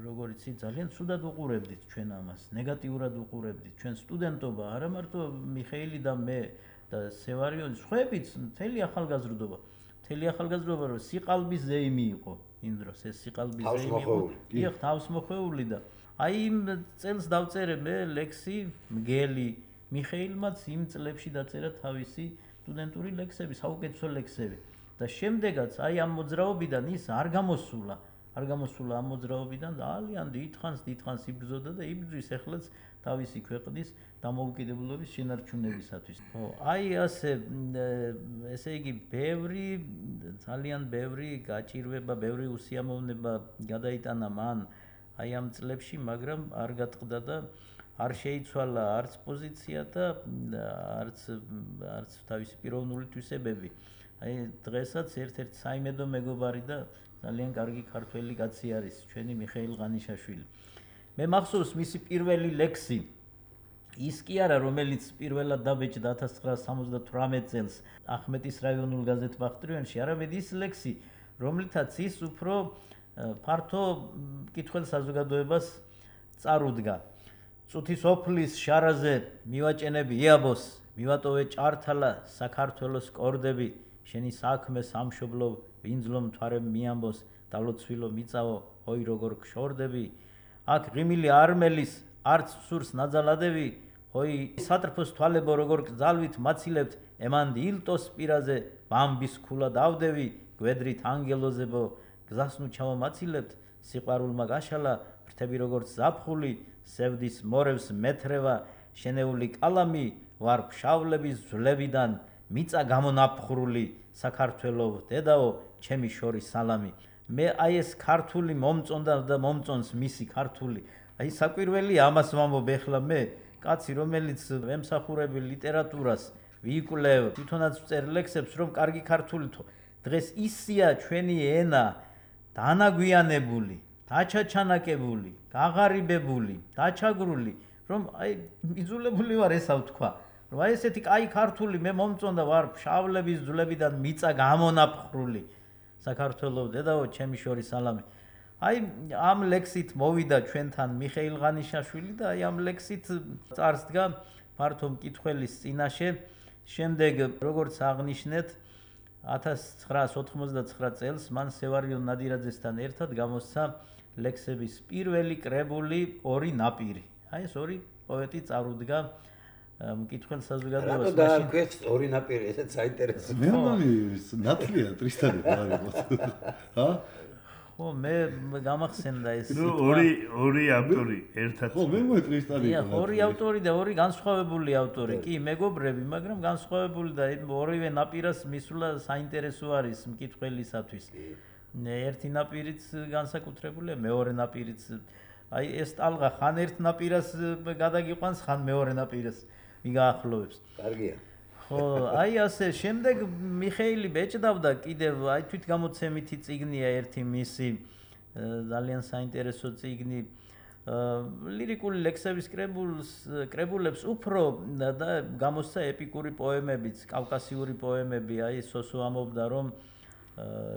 როგორც იცი, ძალიან ცუდად უყურებდით ჩვენ ამას, ნეგატიურად უყურებდით. ჩვენ სტუდენტობა, არა მარტო მიხეილი და მე და სევარიონი, სხვაებიც მთელი ახალგაზრდობა. მთელი ახალგაზრდობა რომ სიყალბის ზეიმი იყო იმ დროს, ეს სიყალბის ზეიმი იყო. დიახ, თავსმოხვეული და აი იმ წელს დავწერე მე ლექსი მგელი. მიხეილმაც იმ წლებში დაწერა თავისი სტუდენტური ლექსები, საუკეთესო ლექსები. და შემდეგაც აი ამ მოძრაობიდან ის არ გამოსულა ამ მოძრაობიდან ძალიან დიდხანს იბრძოდა და იბრძვის ეხლაც თავისი ქვეყნის დამოუკიდებლობის შენარჩუნებისათვის. აი ესე იგი ძალიან ბევრი გაჭირვება, ბევრი უსიამოვნება გადაიტანა მან აი ამ წლებში, მაგრამ არ გატყდა და არ შეიცვალა არც პოზიცია და არც თავისი პიროვნული თვისებები. აი დღესაც ერთ-ერთი საიმედო მეგობარი და ძალიან კარგი ქართველი კაცი არის ჩვენი მიხეილ ღანიშაშვილი. მე მახსოვს მისი პირველი ლექსი, ის კი არა, რომელიც პირველად დაბეჭდა 1978 წელს ახმეტის რაიონულ გაზეთ ბახტრიონში, არამედ ის ლექსი, რომლითაც ის უფრო ფართო მკითხველ საზოგადოებას წარუდგა. წუთის ოფლის შარაზე მივაჭენები იაბოს, მივატოვე ჭართალა საქართველოს კორდები, შენი საქმე სამშობლო ვინძლო მთვარე მიამბოს, დალოცვილო მიწავო, ой როგორ გშორდები, აქ ღიმილი არმელის არც სურს ნაძალადები, ой სატრფოს თვალებო როგორ გძალვით მაცილებთ, ემანდი ილტოს პირაზე ბამბის ქულა დავდევი, გვედრით ანგელოზებო გზასნუ ჩავამაცილებთ, სიყვარულმა გაშალა ფრთები როგორც ზაფხული, სევდის მორევს მეთრევა, შენეული კალამი ვარ ფშავლების ძვლებიდან, მიწა გამონაფხრული, საქართველო დედაო ჩემი შორის სალამი მე აი ეს ქართული მომწონდა და მომწონს მისი ქართული აი საკვირველი ამას ვამბობ ეხლა მე კაცი რომელიც ემსახურები ლიტერატურას ვიკვლევ თვითონაც ვწერ ლექსებს რომ კარგი ქართული თო დღეს ისია ჩვენი ენა დანაგვიანებული დაჩაჩანაკებული გაღარიბებული დაჩაგრული რომ აი იძულებული ვარ ესა ვთქვა რომ აი ესეთი კაი ქართული მე მომწონდა ვარ ფშავლების ძვლებიდან მიწა გამონაფხრული საქართველოს დედაო ჩემი შორის სალამი აი ამ ლექსით მოვიდა ჩვენთან მიხეილ ღანიშაშვილი და აი ამ ლექსით წარსდგა ფართო მკითხველის წინაშე შემდეგ როგორც აღნიშნეთ 1999 წელს მან სევარიონ ნადირაძესთან ერთად გამოსცა ლექსების პირველი კრებული ორი ნაპირი აი ეს ორი პოეტი წარუდგა მკითხველ საზოგადოებას რატო დაარქვეს ორი ნაპირი ესეც საინტერესოა მე მომი ნათლია ტრისტანი დაარქვეს ჰა ხო მე გამახსენდა ეს ორი ავტორი ერთად ხო მე მოტრისტანი ორი ავტორი და ორი განსხვავებული ავტორი კი მეგობრები მაგრამ განსხვავებული და ორივე ნაპირას მისვლა საინტერესო არის მკითხველისათვის ერთი ნაპირიც განსაკუთრებულია მეორე ნაპირიც აი ეს ტალღა ხან ერთ ნაპირას გადაგიყვანს ხან მეორე ნაპირას მიგაახლოვებს კარგია ხო აი ასე შემდეგ მიხეილი ბეჭდავდა კიდევ აი თვითგამოცემითი წიგნია ერთი მისი ძალიან საინტერესო წიგნი ლირიკული ლექსების კრებულებს უფრო და გამოსცა ეპიკური პოემებიც კავკასიური პოემები აი სოსო ამობდა რომ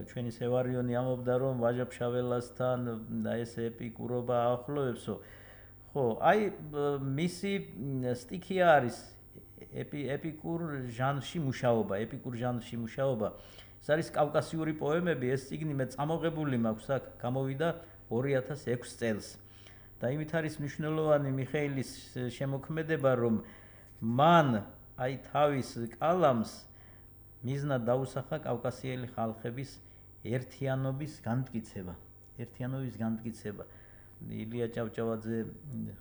ჩვენი სევარიონი ამობდა რომ ვაჟა-ფშაველასთან და ეს ეპიკურობა აახლოვებსო ხო აი მისი სტიქია არის ეპიკურ ჟანრში მუშაობა ეს არის კავკასიური პოემები ეს წიგნი მე წამოღებული მაქვს აქ გამოვიდა 2006 წელს და იმით არის მნიშვნელოვანი მიხეილის შემოქმედება რომ მან აი თავის კალამს მიზნად დაუსახა კავკასიელი ხალხების ერთიანობის განმტკიცება ილია ჭავჭავაძე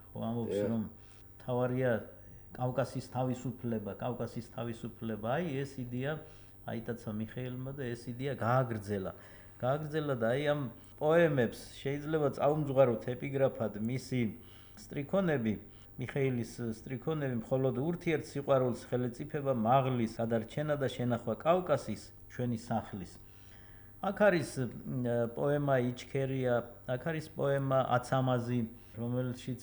ხო ამბობს რომ თავარია კავკასის თავისუფლება აი ეს იდეა აიტაცა მიხეილმა და ეს იდეა გააგრძელა და აი ამ პოემებს შეიძლება წაუმძღვაროთ ეპიგრაფად მისი სტრიქონები მიხეილის სტრიქონები მხოლოდ ურთიერთ სიყვარულს ხელეწიფება მაღლის გადარჩენა და შენახვა კავკასის ჩვენი სახლის აქ არის პოემა იჩქერია აქ არის პოემა აცამაზი რომელშიც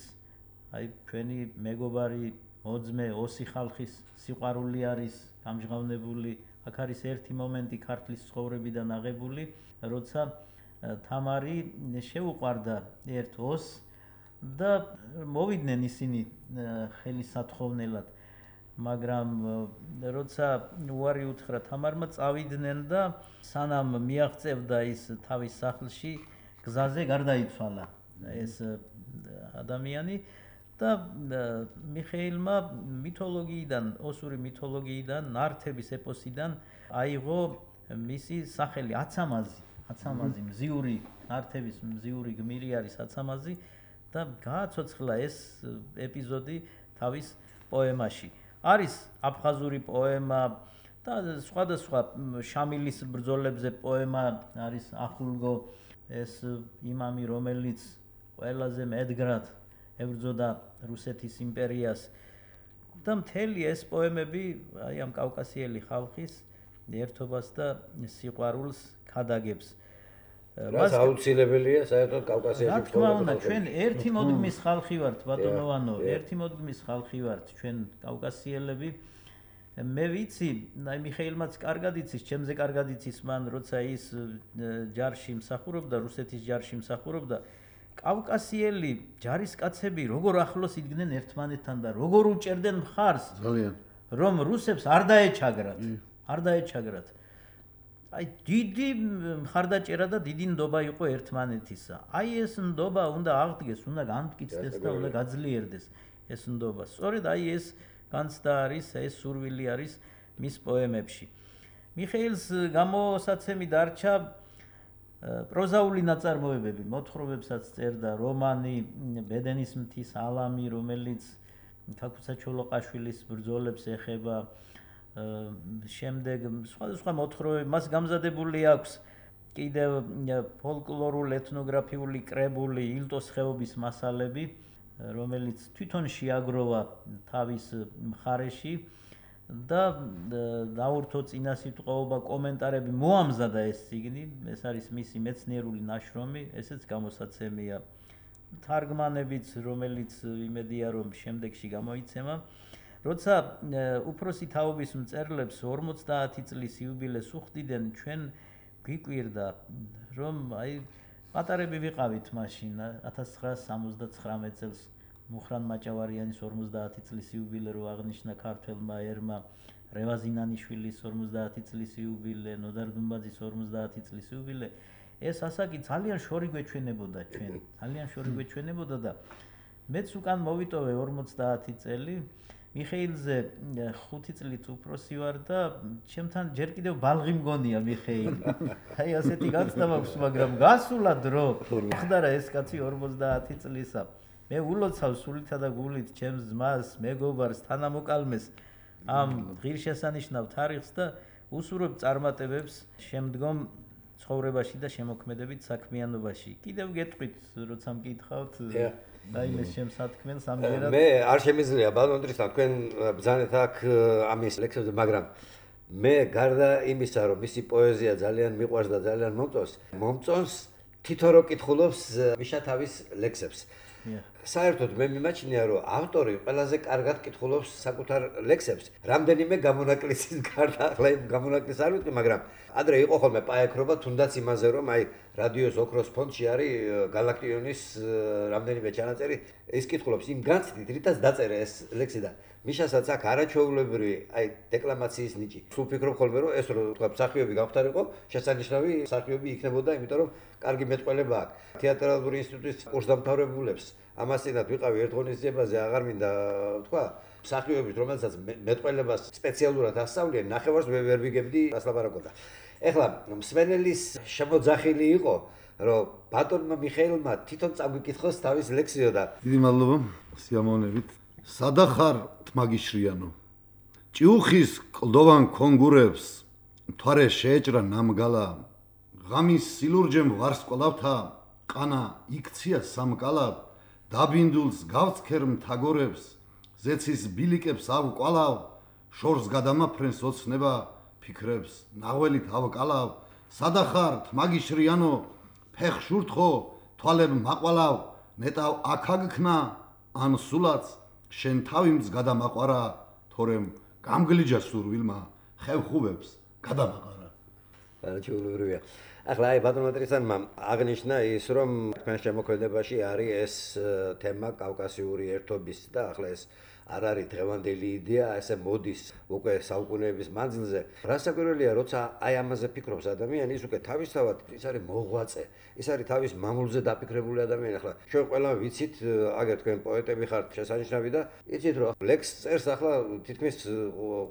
აი ჩვენი მეგობარი მოძმე ოსი ხალხის სიყვარული არის გამჟღავნებული აქ არის ერთი მომენტი ქართლის ცხოვრებიდან აღებული როცა თამარი შეუყვარდა ერთ ოს და მოვიდნენ ისინი ხელისათხოვნელად მაგრამ როცა უარი უთხრა თამარმა წავიდნენ და სანამ მიაღწევდა ის თავის სახლში გზაზე გარდაიცვალა ეს ადამიანი და მიხეილმა მითოლოგიიდან ოსური მითოლოგიიდან ნართების ეპოსიდან აიღო მისი სახელი აცამაზი მზიური ნართების მზიური გმირი არის აცამაზი და გააცოცხლა ეს ეპიზოდი თავის პოემაში არის აფხაზური პოემა და სხვადასხვა შამილის ბრძოლებზე პოემა არის ახულგო ეს იმამი რომელიც ყველაზე მედგრად ებრძოდა რუსეთის იმპერიას და მთელი ეს პოემები აი ამ კავკასიელი ხალხის ერთობას და სიყვარულს ქადაგებს რაც აუცილებელია საერთოდ კავკასიაში რა თქმა უნდა ჩვენ ერთი მოდგმის ხალხი ვართ ბატონოვანო ერთი მოდგმის ხალხი ვართ ჩვენ კავკასიელები მე ვიცი აი მიხეილმაც კარგად იცის ჩემზე კარგად იცის მან როცა ის ჯარში მსახურობდა რუსეთის ჯარში მსახურობდა კავკასიელი ჯარისკაცები როგორ ახლოს იდგნენ ერთმანეთთან და როგორ უჭერდნენ მხარს ძალიან რომ რუსებს არ დაეჩაგრათ აი დიდი მხარდაჭერა და დიდი ნდობა იყო ერთმანეთისა აი ეს ნდობა უნდა აღდგეს უნდა განმტკიცდეს და უნდა გაძლიერდეს ეს ნდობა სწორედ აი ეს განცდა არის ეს სურვილი არის მის პოემებში მიხეილს გამოსაცემი დარჩა პროზაული ნაწარმოებები მოთხრობებსაც წერდა რომანი ბედენის მთის ალამი რომელიც ქაქუცა ჩოლოყაშვილის ბრძოლებს ეხება შემდეგ სხვა მოთხრობები მას გამზადებული აქვს კიდევ ფოლკლორულ ეთნოგრაფიული კრებული ილტოს ხეობის მასალები, რომელიც თვითონ შეაგროვა თავის მხარეში და დაურთო წინასიტყვაობა კომენტარები მოამზადა ეს წიგნი, ეს არის მისი მეცნიერული ნაშრომი, ესეც გამოსაცემია თარგმანებიც, რომელიც იმედია რომ შემდეგში გამოიცემა. როცა უფროსი თაობის მწერლებს 50 წლის იუბილეს უხდიდნენ, ჩვენ გვიკვირდა რომ პატარები ვიყავით მაშინ 1979 წელს მუხრან მაჭავარიანის 50 წლის იუბილე რო აღნიშნა ქართველმა ერმა, რევაზინანიშვილის 50 წლის იუბილე, ნოდარ დუმბაძის 50 წლის იუბილე, ეს ასაკი ძალიან შორი გვეჩვენებოდა ჩვენ, ძალიან შორი გვეჩვენებოდა და მეც უკან მოვიტოვე 50 წელი, მიხეილზე 5 წლით უფროსი ვარ და ჩემთან ჯერ კიდევ ბალღი მგონია მიხეილი. აი ასეთი გაცდა მაქვს, მაგრამ გასულა დრო. ხდარა ეს კაცი 50 წლისა. მე ულოცავ სულითა და გულით ჩემს ძმას, მეგობარს, თანამოკალმეს ამ ღირსშესანიშნავ თარიღს და უსურვებ წარმატებებს შემდგომ ცხოვრებაში და შემოქმედებით საქმიანობაში. კიდევ გეტყვით, როცა მკითხავთ დაიმეს შემსათქმელს ამჯერად. მე არ შემიძლია ბატონ ტრისთან თქვენ ბრძანეთ აქ ამის ლექსებზე, მაგრამ მე გარდა იმისა, რომ მისი პოეზია ძალიან მიყვარს და ძალიან მომწონს, თვითონ რო კითხულობს მიშა თავის ლექსებს. საერთოდ მე მიმაჩნია, რომ ავტორი ყველაზე კარგად კითხულობს საკუთარ ლექსებს. რამდენიმე გამონაკლისის გარდა, ახლა იმ გამონაკლისს არ ვიტყვი, მაგრამ ადრე იყო ხოლმე პაექრობა თუნდაც იმაზე, რომ რადიოს ოქროს ფონდში არის გალაქტიონის რამდენიმე ჩანაწერი, ის კითხულობს იმ განცდით, რითაც დაწერა ეს ლექსი და მიშასაც აქ არაჩვეულებრივი დეკლამაციის ნიჭი. სულ ფიქრობ ხოლმე, რომ ეს რო თქვა მსახიობი გავხდარიყო, შესანიშნავი მსახიობი იქნებოდა, იმიტომ რომ კარგი მეტყველება აქვს. თეატრალური ინსტიტუტის კურსდამთავრებულებს ამასინად ვიყავი ერთ ღონისძიებაზე, აღარ მინდა თქვა, მსახიობებს, რომელსაც მეტყველებას სპეციალურად ასწავლიან, ნახევარს ვერ ვიგებდი ასლაპარაკოდა. ეხლა მსმენელის შემოძახილი იყო, რომ ბატონმა მიხეილმა თვითონ წაგვიკითხოს თავის ლექსიო და დიდი მადლობა სიამოვნებით. სადახარ თმაგიშრიანო. ჭიუხის კლდოვან კონგურებს მთვარე შეეჭრა ნამგალა. ღამის სილურჯემ ვარსკვლავთა ყანა იქცია სამკალად. დაბინდულს გავცქერ მთაგორებს, ზეცის ბილიკებს ავკვალავ, შორს გადამაფრენს ოცნება ფიქრებს, ნაღველით ავკალავ. სადახარ თმაგიშრიანო, ფეხშურთხო, თვალებ მაყვალავ, ნეტავ აქაგქნა, ან სულაც შენ თავიმც გადამაყარა, თორემ გამგლიჯა სურვილმა, ხევხუბებს გადამაყარა. არაჩვეულებრივია. ახლა ბატონმა ტრისტანმა აღნიშნა ის, რომ თქვენ შემოქმედებაში არის ეს თემა კავკასიური ერთობის და ახლა ეს არ არის დღევანდელი იდეა, ესე მოდის უკვე საუკუნეების მანძილზე. რასაკვირველია, როცა ამაზე ფიქრობს ადამიანი, ის უკვე თავისთავად ის არის მოღვაწე, ის არის თავის მამულზე დაფიქრებული ადამიანი. ახლა ჩვენ ყველა ვიცით, აგერ თქვენ პოეტები ხართ შესანიშნავი და იცით, რომ ლექს წერს ახლა თითქმის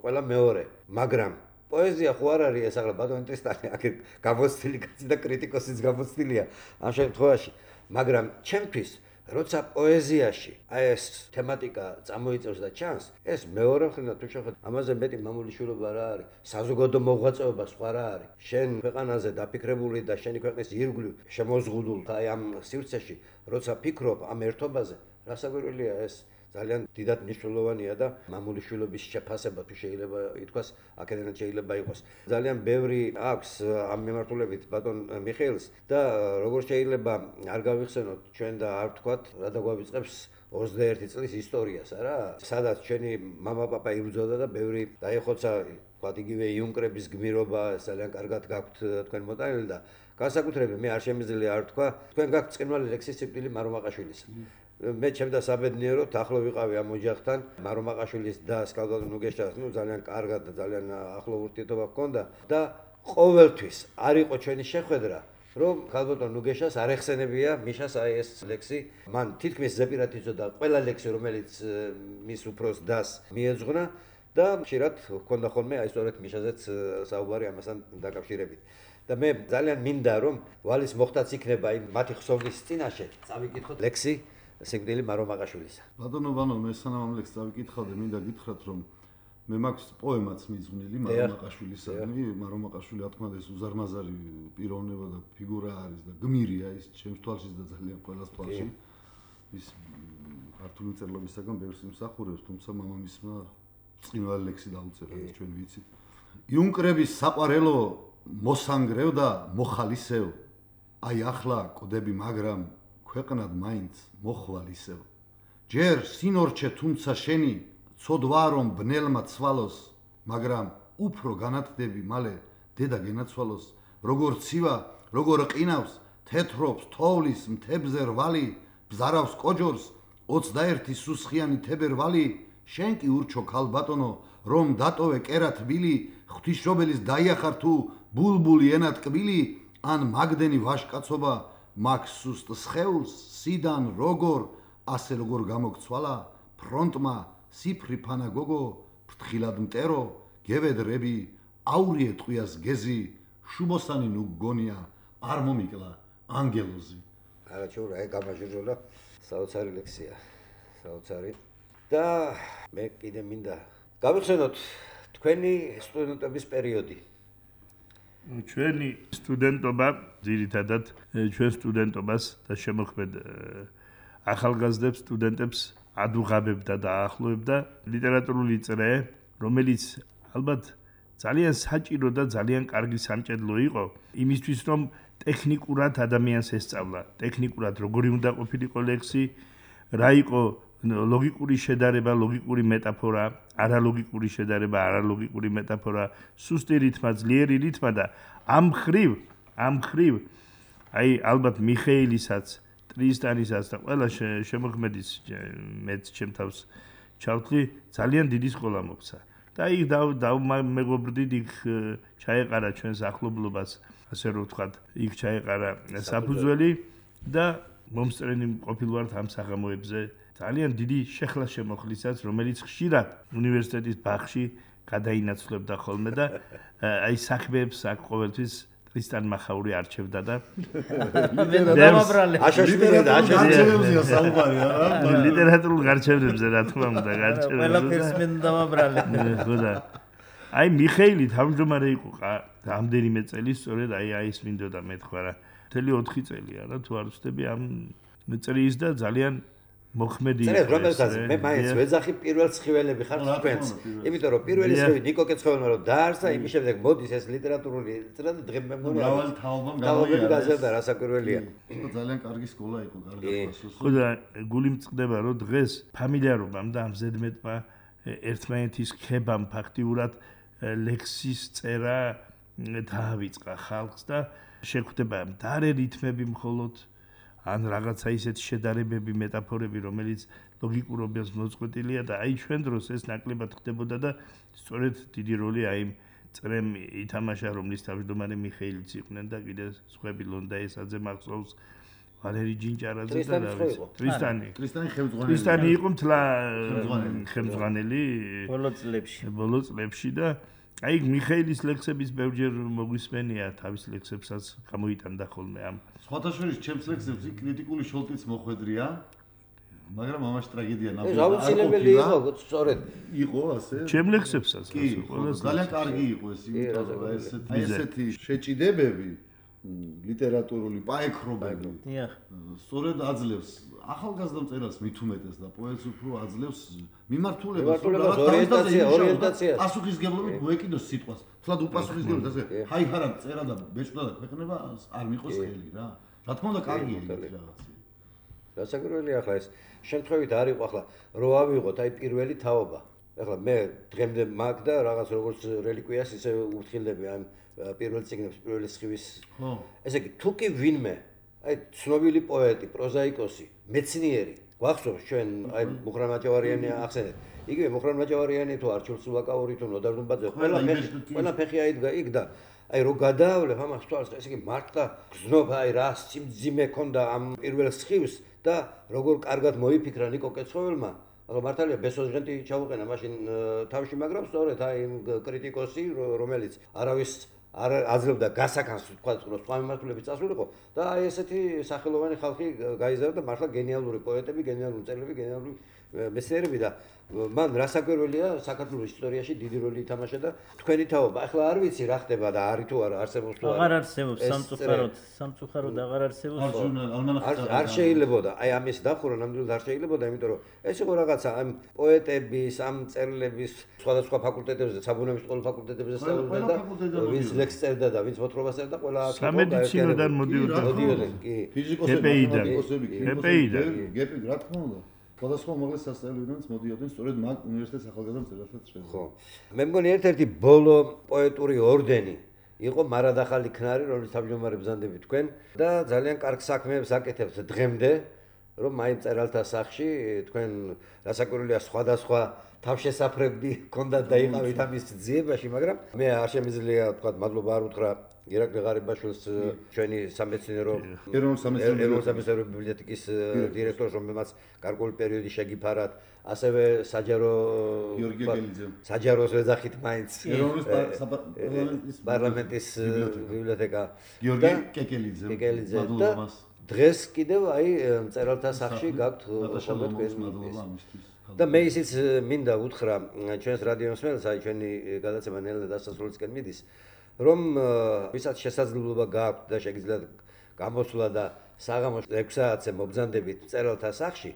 ყველა მეორე, მაგრამ პოეზია ხო არ არის ეს ახლა ბატონ ტრისტანი აქ გამოცდილი კაცი და კრიტიკოსიც გამოცდილია ამ შემთხვევაში, მაგრამ ჩემთვის როცა პოეზიაში ეს თემატიკა წამოიწევს და ჩანს, ეს მეორე მხრიდან თუ შევხედოთ, ამაზე მეტი მამულიშვილობა რა არის, საზოგადო მოღვაწეობა სხვა რა არის. შენ ქვეყანაზე დაფიქრებული და შენი ქვეყნის ირგვლივ შემოზღუდულ ამ სივრცეში, როცა ფიქრობ ამ ერთობაზე, რასაკვირველია ეს ძალიან დიდად მნიშვნელოვანია და მამულიშვილობის შეფასება თუ შეიძლება ითქვას, აქედანაც შეიძლება იყოს. ძალიან ბევრი აქვს ამ მიმართულებით ბატონ მიხეილს და როგორ შეიძლება არ გავიხსენოთ ჩვენ და არ ვთქვათ, რა დაგვავიწყებს 21 წლის ისტორიას, არა? სადაც ჩვენი მამა-პაპა იბრძოდა და ბევრი დაიხოცა, ვთქვათ, იგივე იუნკრების გმირობა, ძალიან კარგად გაქვთ თქვენ მოტანილი და განსაკუთრებით მე არ შემიძლია არ ვთქვა, თქვენ გაქვთ წყინვალი ლექსის სიკვდილი მარომაყაშვილის. მე ჩემდა საბედნიეროდ ახლო ვიყავი ამ ოჯახთან, მარომაყაშვილის და კალბატონ ნუგეშას, ძალიან კარგად და ძალიან ახლო ურთიერთობა ჰქონდა და ყოველთვის არ იყო ჩვენი შეხვედრა, რომ კალბატონ ნუგეშას არ ეხსენებია მიშას ეს ლექსი, მან თითქმის ზეპირად იცოდა ყველა ლექსი, რომელიც მის უფროს დას მიეძღვნა და ხშირად ჰქონდა ხოლმე სწორედ მიშაზეც საუბარი ამასთან დაკავშირებით. და მე ძალიან მინდა რომ ვალის მოხდაც იქნება იმ მათი ხსოვნის წინაშე წავიკითხოთ ლექსი სიკვდილი მარომაყაშვილისა. ბატონო, მე სანამ ამ ლექსს წავიკითხავდი, მინდა გითხრათ, რომ მე მაქვს პოემაც მიძღვნილი მარომაყაშვილისადმი, მარომაყაშვილი რა თქმა უნდა ეს უზარმაზარი პიროვნება და ფიგურა არის და გმირია ის ჩემს თვალშიც და ძალიან ყველას თვალში. ის ქართული მწერლობისაგან ბევრს იმსახურებს, თუმცა მამამისმა ბრწყინვალე ლექსი დაუწერა, ეს ჩვენ ვიცით. იუნკრების საყვარელო მოსანგრევ და მოხალისევ. აი ახლა კოდები, მაგრამ ქვეყნად მაინც მოხვალ ისევ. ჯერ სინორჩე თუმცა შენი ცოდვა რომ ბნელმა ცვალოს, მაგრამ უფრო განათდები მალე დედა გენაცვალოს. როგორ ცივა, როგორ ყინავს, თეთრობს თოვლის მთებზე რვალი, ბზარავს კოჯორს 21 სუსხიანი თებერვალი. შენ კი ურჩო ქალბატონო, რომ დატოვე კერა თბილი, ღვთისმშობელის დაიახარ თუ ბულბული ენა ტკბილი, ან მაგდენი ვაშკაცობა მაგ სუსტ სხეულს სიდან როგორ ასე როგორ გამოგცვალა ფრონტმა სიფრი ფანა გოგო ფრთხილად მტერო გევედრები აურიე ტყვიას გეზი შუბოსანი ნუ გონია არ მომიკლა ანგელოზი. არა ჩურა ეგ გამაჟურა საოცარი ლექსია საოცარი და მე კიდე მინდა გავიხსენოთ თქვენი სტუდენტობის პერიოდი. ჩვენი სტუდენტობა ძირითადად ჩვენ სტუდენტობას და შემოქმედ ახალგაზრდებს სტუდენტებს ადუღაბებდა და აახლოებდა ლიტერატურული წრე, რომელიც ალბათ ძალიან საჭირო და ძალიან კარგი სამჭედლო იყო იმისთვის, რომ ტექნიკურად ადამიანს ესწავლა, ტექნიკურად როგორი უნდა ყოფილიყო ლექსი, რა იყო ლოგიკური შედარება, ლოგიკური მეტაფორა, არალოგიკური შედარება, არალოგიკური მეტაფორა, სუსტი რითმა, ძლიერი რითმა და ამ ხრივ აი ალბათ მიხეილისაც, ტრისტანისაც და ყველა შემოქმედის მეც ჩემ თავს ჩავთვლი, ძალიან დიდი სკოლა მოქცა. და იქ დავმეგობრდით, იქ ჩაეყარა ჩვენს ახლობლობას, ასე რომ ვთქვათ, იქ ჩაეყარა საფუძველი და მომსწრენი ყოფილვართ ამ საღამოებზე. ძალიან დიდი შეხლა შემოხლისაც, რომელიც ხშირად უნივერსიტეტის ბაღში გადაინაცვლებდა ხოლმე და აი საქმეებს აქ ყოველთვის ტრისტან მახაური არჩევდა და ლიტერატურულ გარჩევნებზე რა თქმა უნდა გარჩევდა. ყველაფერს მე დამაბრალე. ხო და აი მიხეილი თავმჯდომარე იყო რამდენიმე წელი, სწორედ აი ეს მინდოდა მეთქვა რა. მთელი 4 წელია რა თუ არ ვცდები ამ წრის და ძალიან მოხმედი იყო. რომელსაც მე მაინც ვეძახი პირველ ცხიველები ხარ თქვენს. იმიტომ რომ პირველი ცხივი ნიკო კეცხოველმა რომ დაარსა, იმის შემდეგ მოდის ეს ლიტერატურული წრე და დღემ მე მგონი მრავალი თაობამ გაზარდა რასაკვირველია. ძალიან კარგი სკოლა იყო, კარგი პასუხი. ხო და გული მწყდება რომ დღეს ფამილიარობამ და ამ ზედმეტმა ერთმანეთის ხებამ ფაქტიურად ლექსის წერა დაავიწყა ხალხს და შეგვხვდება მდარე რითმები მხოლოდ ან რაღაცა ისეთი შედარებები, მეტაფორები, რომელიც ლოგიკურობას მოწყვეტილია და აი ჩვენ დროს ეს ნაკლებად ხდებოდა და სწორედ დიდი როლი აი იმ წრემ ითამაშა, რომლის თავმჯდომარე მიხეილიც იყვნენ და კიდე სხვები ლონდაესაძე მახსოვს, ვალერი ჯინჭარაძე და რა ვიცი. ტრისტანი ხელმძღვანელი. ტრისტანი იყო მთლა ხელმძღვანელი ბოლო წლებში და აი მიხეილის ლექსების ბევრჯერ მოგვისმენია, თავის ლექსებსაც გამოიტანდა ხოლმე ამ სხვათაშორის ჩემს ლექსებს კრიტიკული შოლტიც მოხვედრია, მაგრამ ამაში ტრაგედია ნაბოლოა. აუცილებელი იყო, სწორედ. იყო ასე? ჩემ ლექსებსაც ყველას ძალიან კარგი იყო ეს, იმიტომ რომ ესეთი შეჭიდებები ლიტერატურული პაექრობები. სწორედ აძლევს ახალგაზრდა მწერალს მით უმეტეს და პოეტს უფრო აძლევს მიმართულებას, ორიენტაციას. პასუხისგებლობით მოეკიდოს სიტყვას. თლად უპასუხისგებლად ასე ჰაი-ჰარა წერა და ბეჭდა და ქვეყნება არ მიყოს ხელი რა. რა თქმა უნდა კარგია ეს რაღაცა. რასაკვირველია ახლა ეს შემთხვევით არ იყო ახლა რო ავიღოთ აი პირველი თაობა. ახლა მე დღემდე მაგ და რაღაც როგორც რელიკვიას ისე უთხრილები ამ პირველ ციგნებს, პირველი სხივის. ესე იგი თუ კი ვინმე აი ცნობილი პოეტი, პროზაიკოსი, მეცნიერი გვახსოვს ჩვენ აი მუხრან მაჭავარიანი ახსენეთ. იგივე მუხრან მაჭავარიანი თუ არჩილ სულაკაური თუ ნოდარ დუმბაძე ყველა ფეხი აიდგა იქ და აი რო გადაავლებ ამას თვალს ესე იგი მართლა გზნობა აი რა სიმძიმე ქონდა ამ პირველ სხივს და როგორ კარგად მოიფიქრა ნიკო კეცხოველმა. ახლა მართალია ბესოზღენტი ჩაუყენა მაშინ თავში, მაგრამ სწორედ აი კრიტიკოსი რომელიც არავის არ აძლევდა გასაკანს თქვა რომ სხვა მიმართულებით წასულიყო და აი ესეთი სახელოვანი ხალხი გაიზარდა და მართლა გენიალური პოეტები, გენიალური მწერლები, გენიალური მეცნიერები და მან რასაკვირველია საქართველოს ისტორიაში დიდი როლი ითამაშა და თქვენი თაობა ახლა არ ვიცი რა ხდება და არის თუ არა არსებობს თუ აღარ არსებობს სამწუხაროდ აღარ არსებობს არ შეიძლებოდა აი ამის დახურა ნამდვილად არ შეიძლებოდა იმიტომ რომ ეს იყო რაღაცა ამ პოეტების ამ წერილების სხვადასხვა ფაკულტეტებზე საბუნებისმეტყველო ფაკულტეტებზე სწავლობდა და ვინც ლექს წერდა და ვინც მოთხრობას წერდა ყველა სამედიცინოდან მოდიოდნენ კი ფიზიკოსები გეპი რა თქმა უნდა სხვადასხვა უმაღლეს სასწავლებლებიდანაც მოდიოდნენ სწორედ მაგ უნივერსიტეტის ახალგაზრდა მწერალთა წრეზე. ხო. მე მგონი ერთ-ერთი ბოლო პოეტური ორდენი იყო მარადახალი ქნარი, რომლის თავმჯდომარე ბრძანდები თქვენ და ძალიან კარგ საქმეებს აკეთებთ დღემდე, რომ მაინც მწერალთა სახში თქვენ რასაკვირველია სხვადასხვა თავშესაფრები ჰქონდათ და იყავით ამის ძიებაში, მაგრამ მე არ შემიძლია თქვა მადლობა არ უთხრა ირაკლი ღარიბაშვილს ჩვენი სამეცნიერო ეროვნულ ბიბლიოთეკის დირექტორს, რომელმაც გარკვეული პერიოდი შეგიფარათ, ასევე საჯაროს ვეძახით მაინც პარლამენტის ბიბლიოთეკა გიორგი კეკელიძე და დღეს კიდევ აი მწერალთა სახში გაქვთ ხოლმე და მე ისიც მინდა უთხრა ჩვენს რადიო მსმენელს, აი ჩვენი გადაცემა ნელ დასასრულისკენ მიდის, რომ ვისაც შესაძლებლობა გააქვთ და შეგიძლიათ გამოსვლა და საღამოს 6 საათზე მობრძანდებით მწერალთა სახში,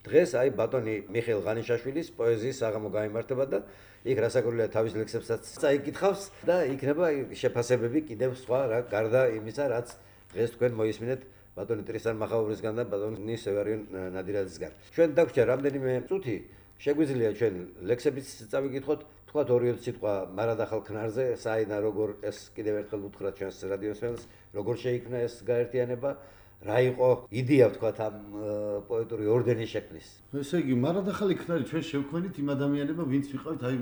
დღეს აი ბატონი მიხეილ ღანიშაშვილის პოეზიის საღამო გაიმართება და იქ რასაკვირველია თავის ლექსებსაც წაიკითხავს და იქნება შეფასებები კიდევ სხვა რა გარდა იმისა, რაც დღეს თქვენ მოისმინეთ ბატონი ტრისტან მახაურისგან და ბატონი სევერიონ ნადირაძისგან. ჩვენ დაგვჭირდა რამდენიმე წუთი, შეგვიძლია ჩვენ ლექსებიც წავიკითხოთ, თქვათ 2-3 სიტყვა მარადახალ ქნარზე, საიდან როგორ ეს კიდევ ერთხელ უთხრათ ჩვენს რადიო მსმენელს, როგორ შეიქმნა ეს გაერთიანება, რა იყო იდეა თქვათ ამ პოეტური ორდენის შექმნის. ესე იგი, მარადახალი ქნარი ჩვენ შევქმნით იმ ადამიანებმა, ვინც ვიყავით აი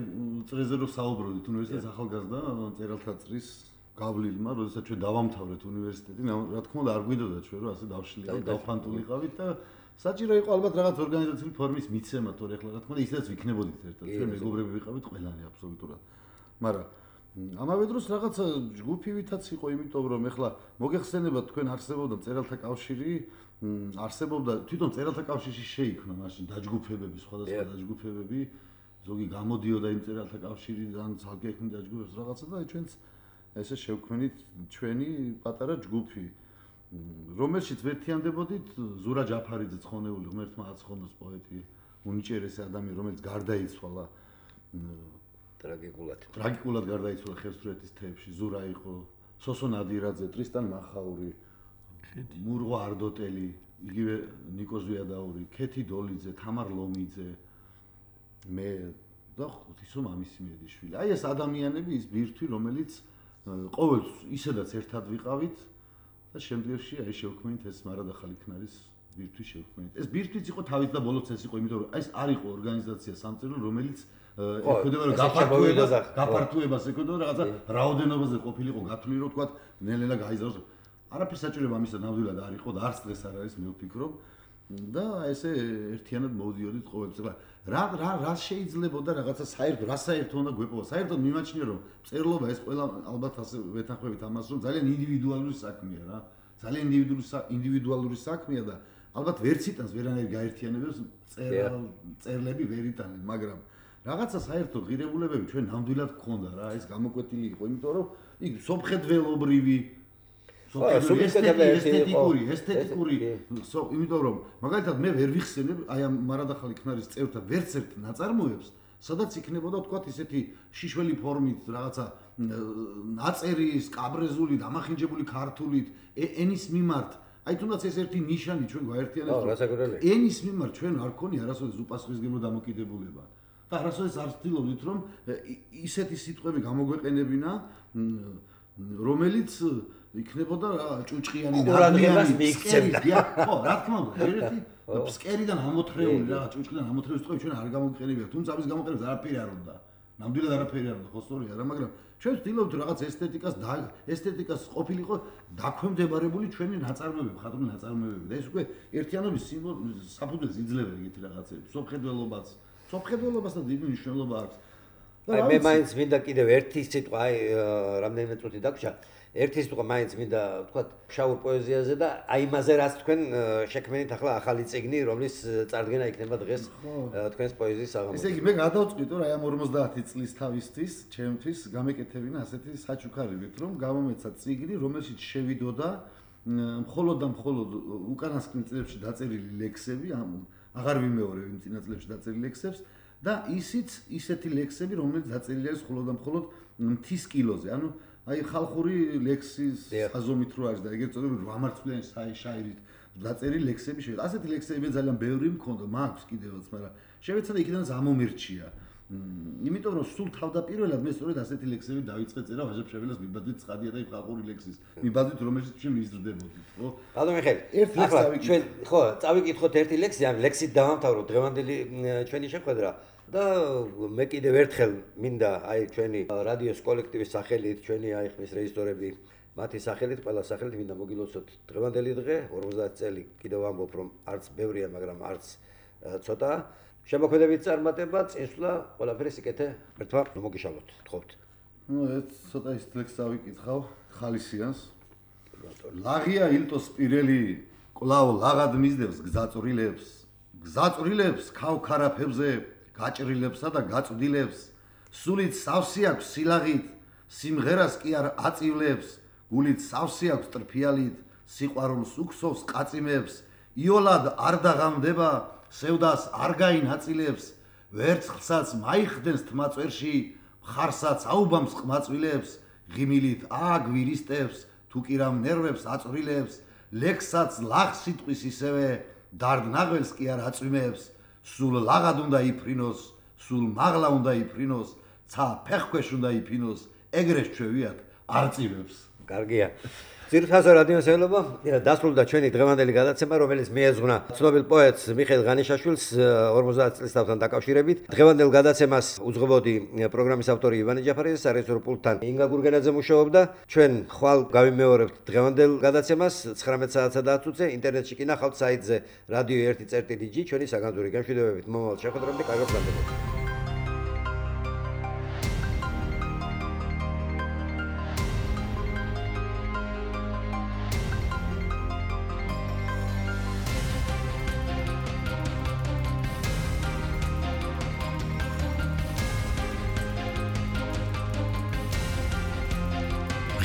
წრეზე რო საუბრობდით უნივერსიტეტის ახალგაზრდა მწერალთა წრის გავლილმა, როდესაც ჩვენ დავამთავრეთ უნივერსიტეტი, რა თქმა უნდა არ გვინდოდა ჩვენ რომ ასე დავშლილიყავით, დავფანტულიყავით და საჭირო იყო ალბათ რაღაც ორგანიზაციული ფორმის მიცემა, თორე ახლა რა თქმა უნდა ისედაც ვიქნებოდით ერთად, ჩვენ მეგობრები ვიყავით ყველანი აბსოლუტურად. მაგრამ ამავე დროს რაღაც ჯგუფივითაც იყო, იმიტომ რომ ახლა მოგეხსენებათ თქვენ არსებობდა მწერალთა კავშირი, არსებობდა თვითონ მწერალთა კავშირში შეიქმნა მაშინ დაჯგუფებები, სხვადასხვა დაჯგუფებები, ზოგი გამოდიოდა იმ მწერალთა კავშირიდან, ძალკე ექმნიდა დაჯგუფებს რაღაცა და ჩვენც ესე შევქმნით ჩვენი პატარა ჯგუფი, რომელშიც ვერთიანდებოდით ზურა ჯაფარიძე ცხონეული ღმერთმა აცხონოს პოეტი, უნიჭერესი ადამიანი, რომელიც გარდაიცვალა ტრაგიკულად გარდაიცვალა ხევსურეთის თეფში, ზურა იყო, სოსო ნადირაძე, ტრისტან მახაური, მურღვა არდოტელი, იგივე ნიკო ზვიადაური, ქეთი დოლიძე, თამარ ლომიძე, მე და ღვთისო მამისი მედიშვილი. აი ეს ადამიანები, ის ბირთვი, რომელიც ყოველთვის ისედაც ერთად ვიყავით და შემდგომში აი შევქმნით ეს მარადახალი ქნარის ბირთვი შევქმნით. ეს ბირთვიც იყო თავით და ბოლოს ეს იყო, იმიტომ რომ ეს არ იყო ორგანიზაცია სამწერლო, რომელიც ეკუთვნება რომ გაფართოებას ეკუთვნება რაღაცა რაოდენობაზე ყოფილიყო გათვლილი, რომ თქვა ნელ-ნელა გაიზარდოს. არაფერს საჭიროება ამისა ნამდვილად არ იყო და არც დღეს არ არის, მე ვფიქრობ. და ესე ერთიანად მოვდიოდით ყოველთვის. რა შეიძლებოდა რაღაცა საერთო, რა საერთო უნდა გვეპოვა. საერთოდ მიმაჩნია რომ წერლობა ეს ყველა ალბათ ასე ვეთანხმებით ამას რომ ძალიან ინდივიდუალური საქმეა რა. ძალიან ინდივიდუალური საქმეა და ალბათ ვერც იტანს ვერანაირ გაერთიანებებს წერლები ვერ იტანენ, მაგრამ რაღაცა საერთო ღირებულებები ჩვენ ნამდვილად გქონდა რა, ეს გამოკვეთილი იყო, იმიტომ რომ იქ სომხედველობრივი ესთეტიკური, იმიტომ რომ მაგალითად მე ვერ ვიხსენებ აი ამ მარადახალი ქნარის წევრთა ვერც ერთ ნაწარმოებს, სადაც იქნებოდა თქვათ ისეთი შიშველი ფორმით რაღაცა ნაწერის, კაბრეზული, დამახინჯებული ქართულით, ენის მიმართ, აი თუნდაც ეს ერთი ნიშანი ჩვენ გვაერთიანებს, ენის მიმართ ჩვენ არ გქონია არასოდეს უპასუხისმგებლო დამოკიდებულება. და არასოდეს არ ვცდილობდით რომ ისეთი სიტყვები გამოგვეყენებინა, რომელიც იქნებოდა ჭუჭყიანი ადამიანი, ხო, რა თქმა უნდა, ერთი ფსკერიდან ამოთრეული რა, ჭუჭყიდან ამოთრეული სიტყვები ჩვენ არ გამოგიყენებია, თუმცა ამის გამოყენებას არაფერი არ უნდა. ნამდვილად არაფერი არ უნდა, ხო სწორია რა, მაგრამ ჩვენ ვცდილობთ რაღაც ესთეტიკას ყოფილიყო დაქვემდებარებული ჩვენი ნაწარმოებები, ხატული ნაწარმოებები და ეს უკვე ერთიანობის საფუძველს იძლევა ეგეთი რაღაცები, სომხედველობასთან დიდი მნიშვნელობა აქვს. მე მაინც მინდა კიდევ ერთი სიტყვა, რამდენიმე წუთი დაგვრჩა. ერთი სიტყვა მაინც მინდა ვთქვა შავურ პოეზიაზე და აი იმაზე რაც თქვენ შექმნით ახლა ახალი წიგნი, რომლის წარდგენა იქნება დღეს თქვენს პოეზიის საღამოზე. ესე იგი მე გადავწყვიტე რომ აი ამ 50 წლის თავისთვის, ჩემთვის გამეკეთებინა ასეთი საჩუქარებით, რომ გამომეცა წიგნი, რომელშიც შევიდოდა მხოლოდ და მხოლოდ უკანასკნელ წლებში დაწერილი ლექსები, აღარ ვიმეორებ იმ წინა წლებში დაწერილი ლექსებს და ისეთი ლექსები, რომელიც დაწერილი არის მხოლოდ და მხოლოდ მთის კილოზე. ანუ აი ხალხური ლექსის ხაზომით რო არის და ეგრეთ წოდებული 8 მარცვლიანი შაირით დაწერილი ლექსები შევეცდა. ასეთი ლექსები მე ძალიან ბევრი მქონდა, მაქვს კიდევაც, მაგრამ შევეცდა იქიდანაც ამომირჩია. იმიტომ რომ სულ თავდაპირველად მე სწორედ ასეთი ლექსები დავიწყე წერა ვაჟა-ფშაველას მიბაძვით ცხადია და იმ ხალხური ლექსის მიბაძვით რომელშიც ჩვენ მიზრდებოდით, ხო? ბატონო მიხეილ, ახლა ჩვენ ხო წავიკითხოთ ერთი ლექსი, ამ ლექსით დავამთავროთ დღევანდელი ჩვენი შეხვედრა. და მე კიდევ ერთხელ მინდა აი ჩვენი რადიოს კოლექტივის სახელით, ჩვენი აი ხმის რეჟისორები, მათი სახელით, ყველა სახელით მინდა მოგილოცოთ დღევანდელი დღე, 50 წელი კიდევ ვამბობ, რომ არც ბევრია, მაგრამ არც ცოტაა. შემოქმედებით წარმატება, წინსვლა, ყველაფერი სიკეთე, ერთმა მოგიშალოთ, თხოვთ. ნუ ეს ცოტა ის ლექსი დავიკითხავ, ხალისიანს. ლაღია ილტოს პირელი, კვლავ ლაღად მისდევს გზაწვრილებს ქავქარაფებზე გაჭრილებსა და გაწვდილებს, სულით სავსე აქვს სილაღით, სიმღერას კი არ აწივლებს, გულით სავსე აქვს ტრფიალით, სიყვარულს უქსოვს ყაწიმებს, იოლად არ დაღამდება, სევდას არ გაინაწილებს, ვერცხლსაც მაიხდენს თმაწვერში, მხარსაც აუბამს ყმაწვილებს, ღიმილით ააგვირისტებს, თუ კი რამ ნერვებს აწვრილებს, ლექსსაც ლაღ სიტყვის ისევე, დარდნაღველს კი არ აწვიმებს, სულ ლაღად უნდა იფრინოს, სულ მაღლა უნდა იფრინოს, ცა ფეხქვეშ უნდა იფინოს, ეგრეს ჩვევიათ არ წივებს. კარგია. ძირითადად რადიოსელობა დასრულდა ჩვენი დღევანდელი გადაცემა, რომელიც მიეძღვნა ცნობილ პოეტს მიხეილ ღანიშაშვილს 50 წლის თავთან დაკავშირებით. დღევანდელ გადაცემას უძღვებოდი პროგრამის ავტორი ივანე ჯაფარიძე, სარეჟისორო პულტთან ინგა გურგენაძე მუშაობდა. ჩვენ ხვალ გავიმეორებთ დღევანდელ გადაცემას 19 საათსა და 10 წუთზე, ინტერნეტში კი ნახავთ საიტზე radio1.dg. ჩვენი საგანძური გამშვიდობებით მომავალ შეხვედრამდე კარგად გაგრძელოთ.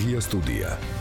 Ria Studia.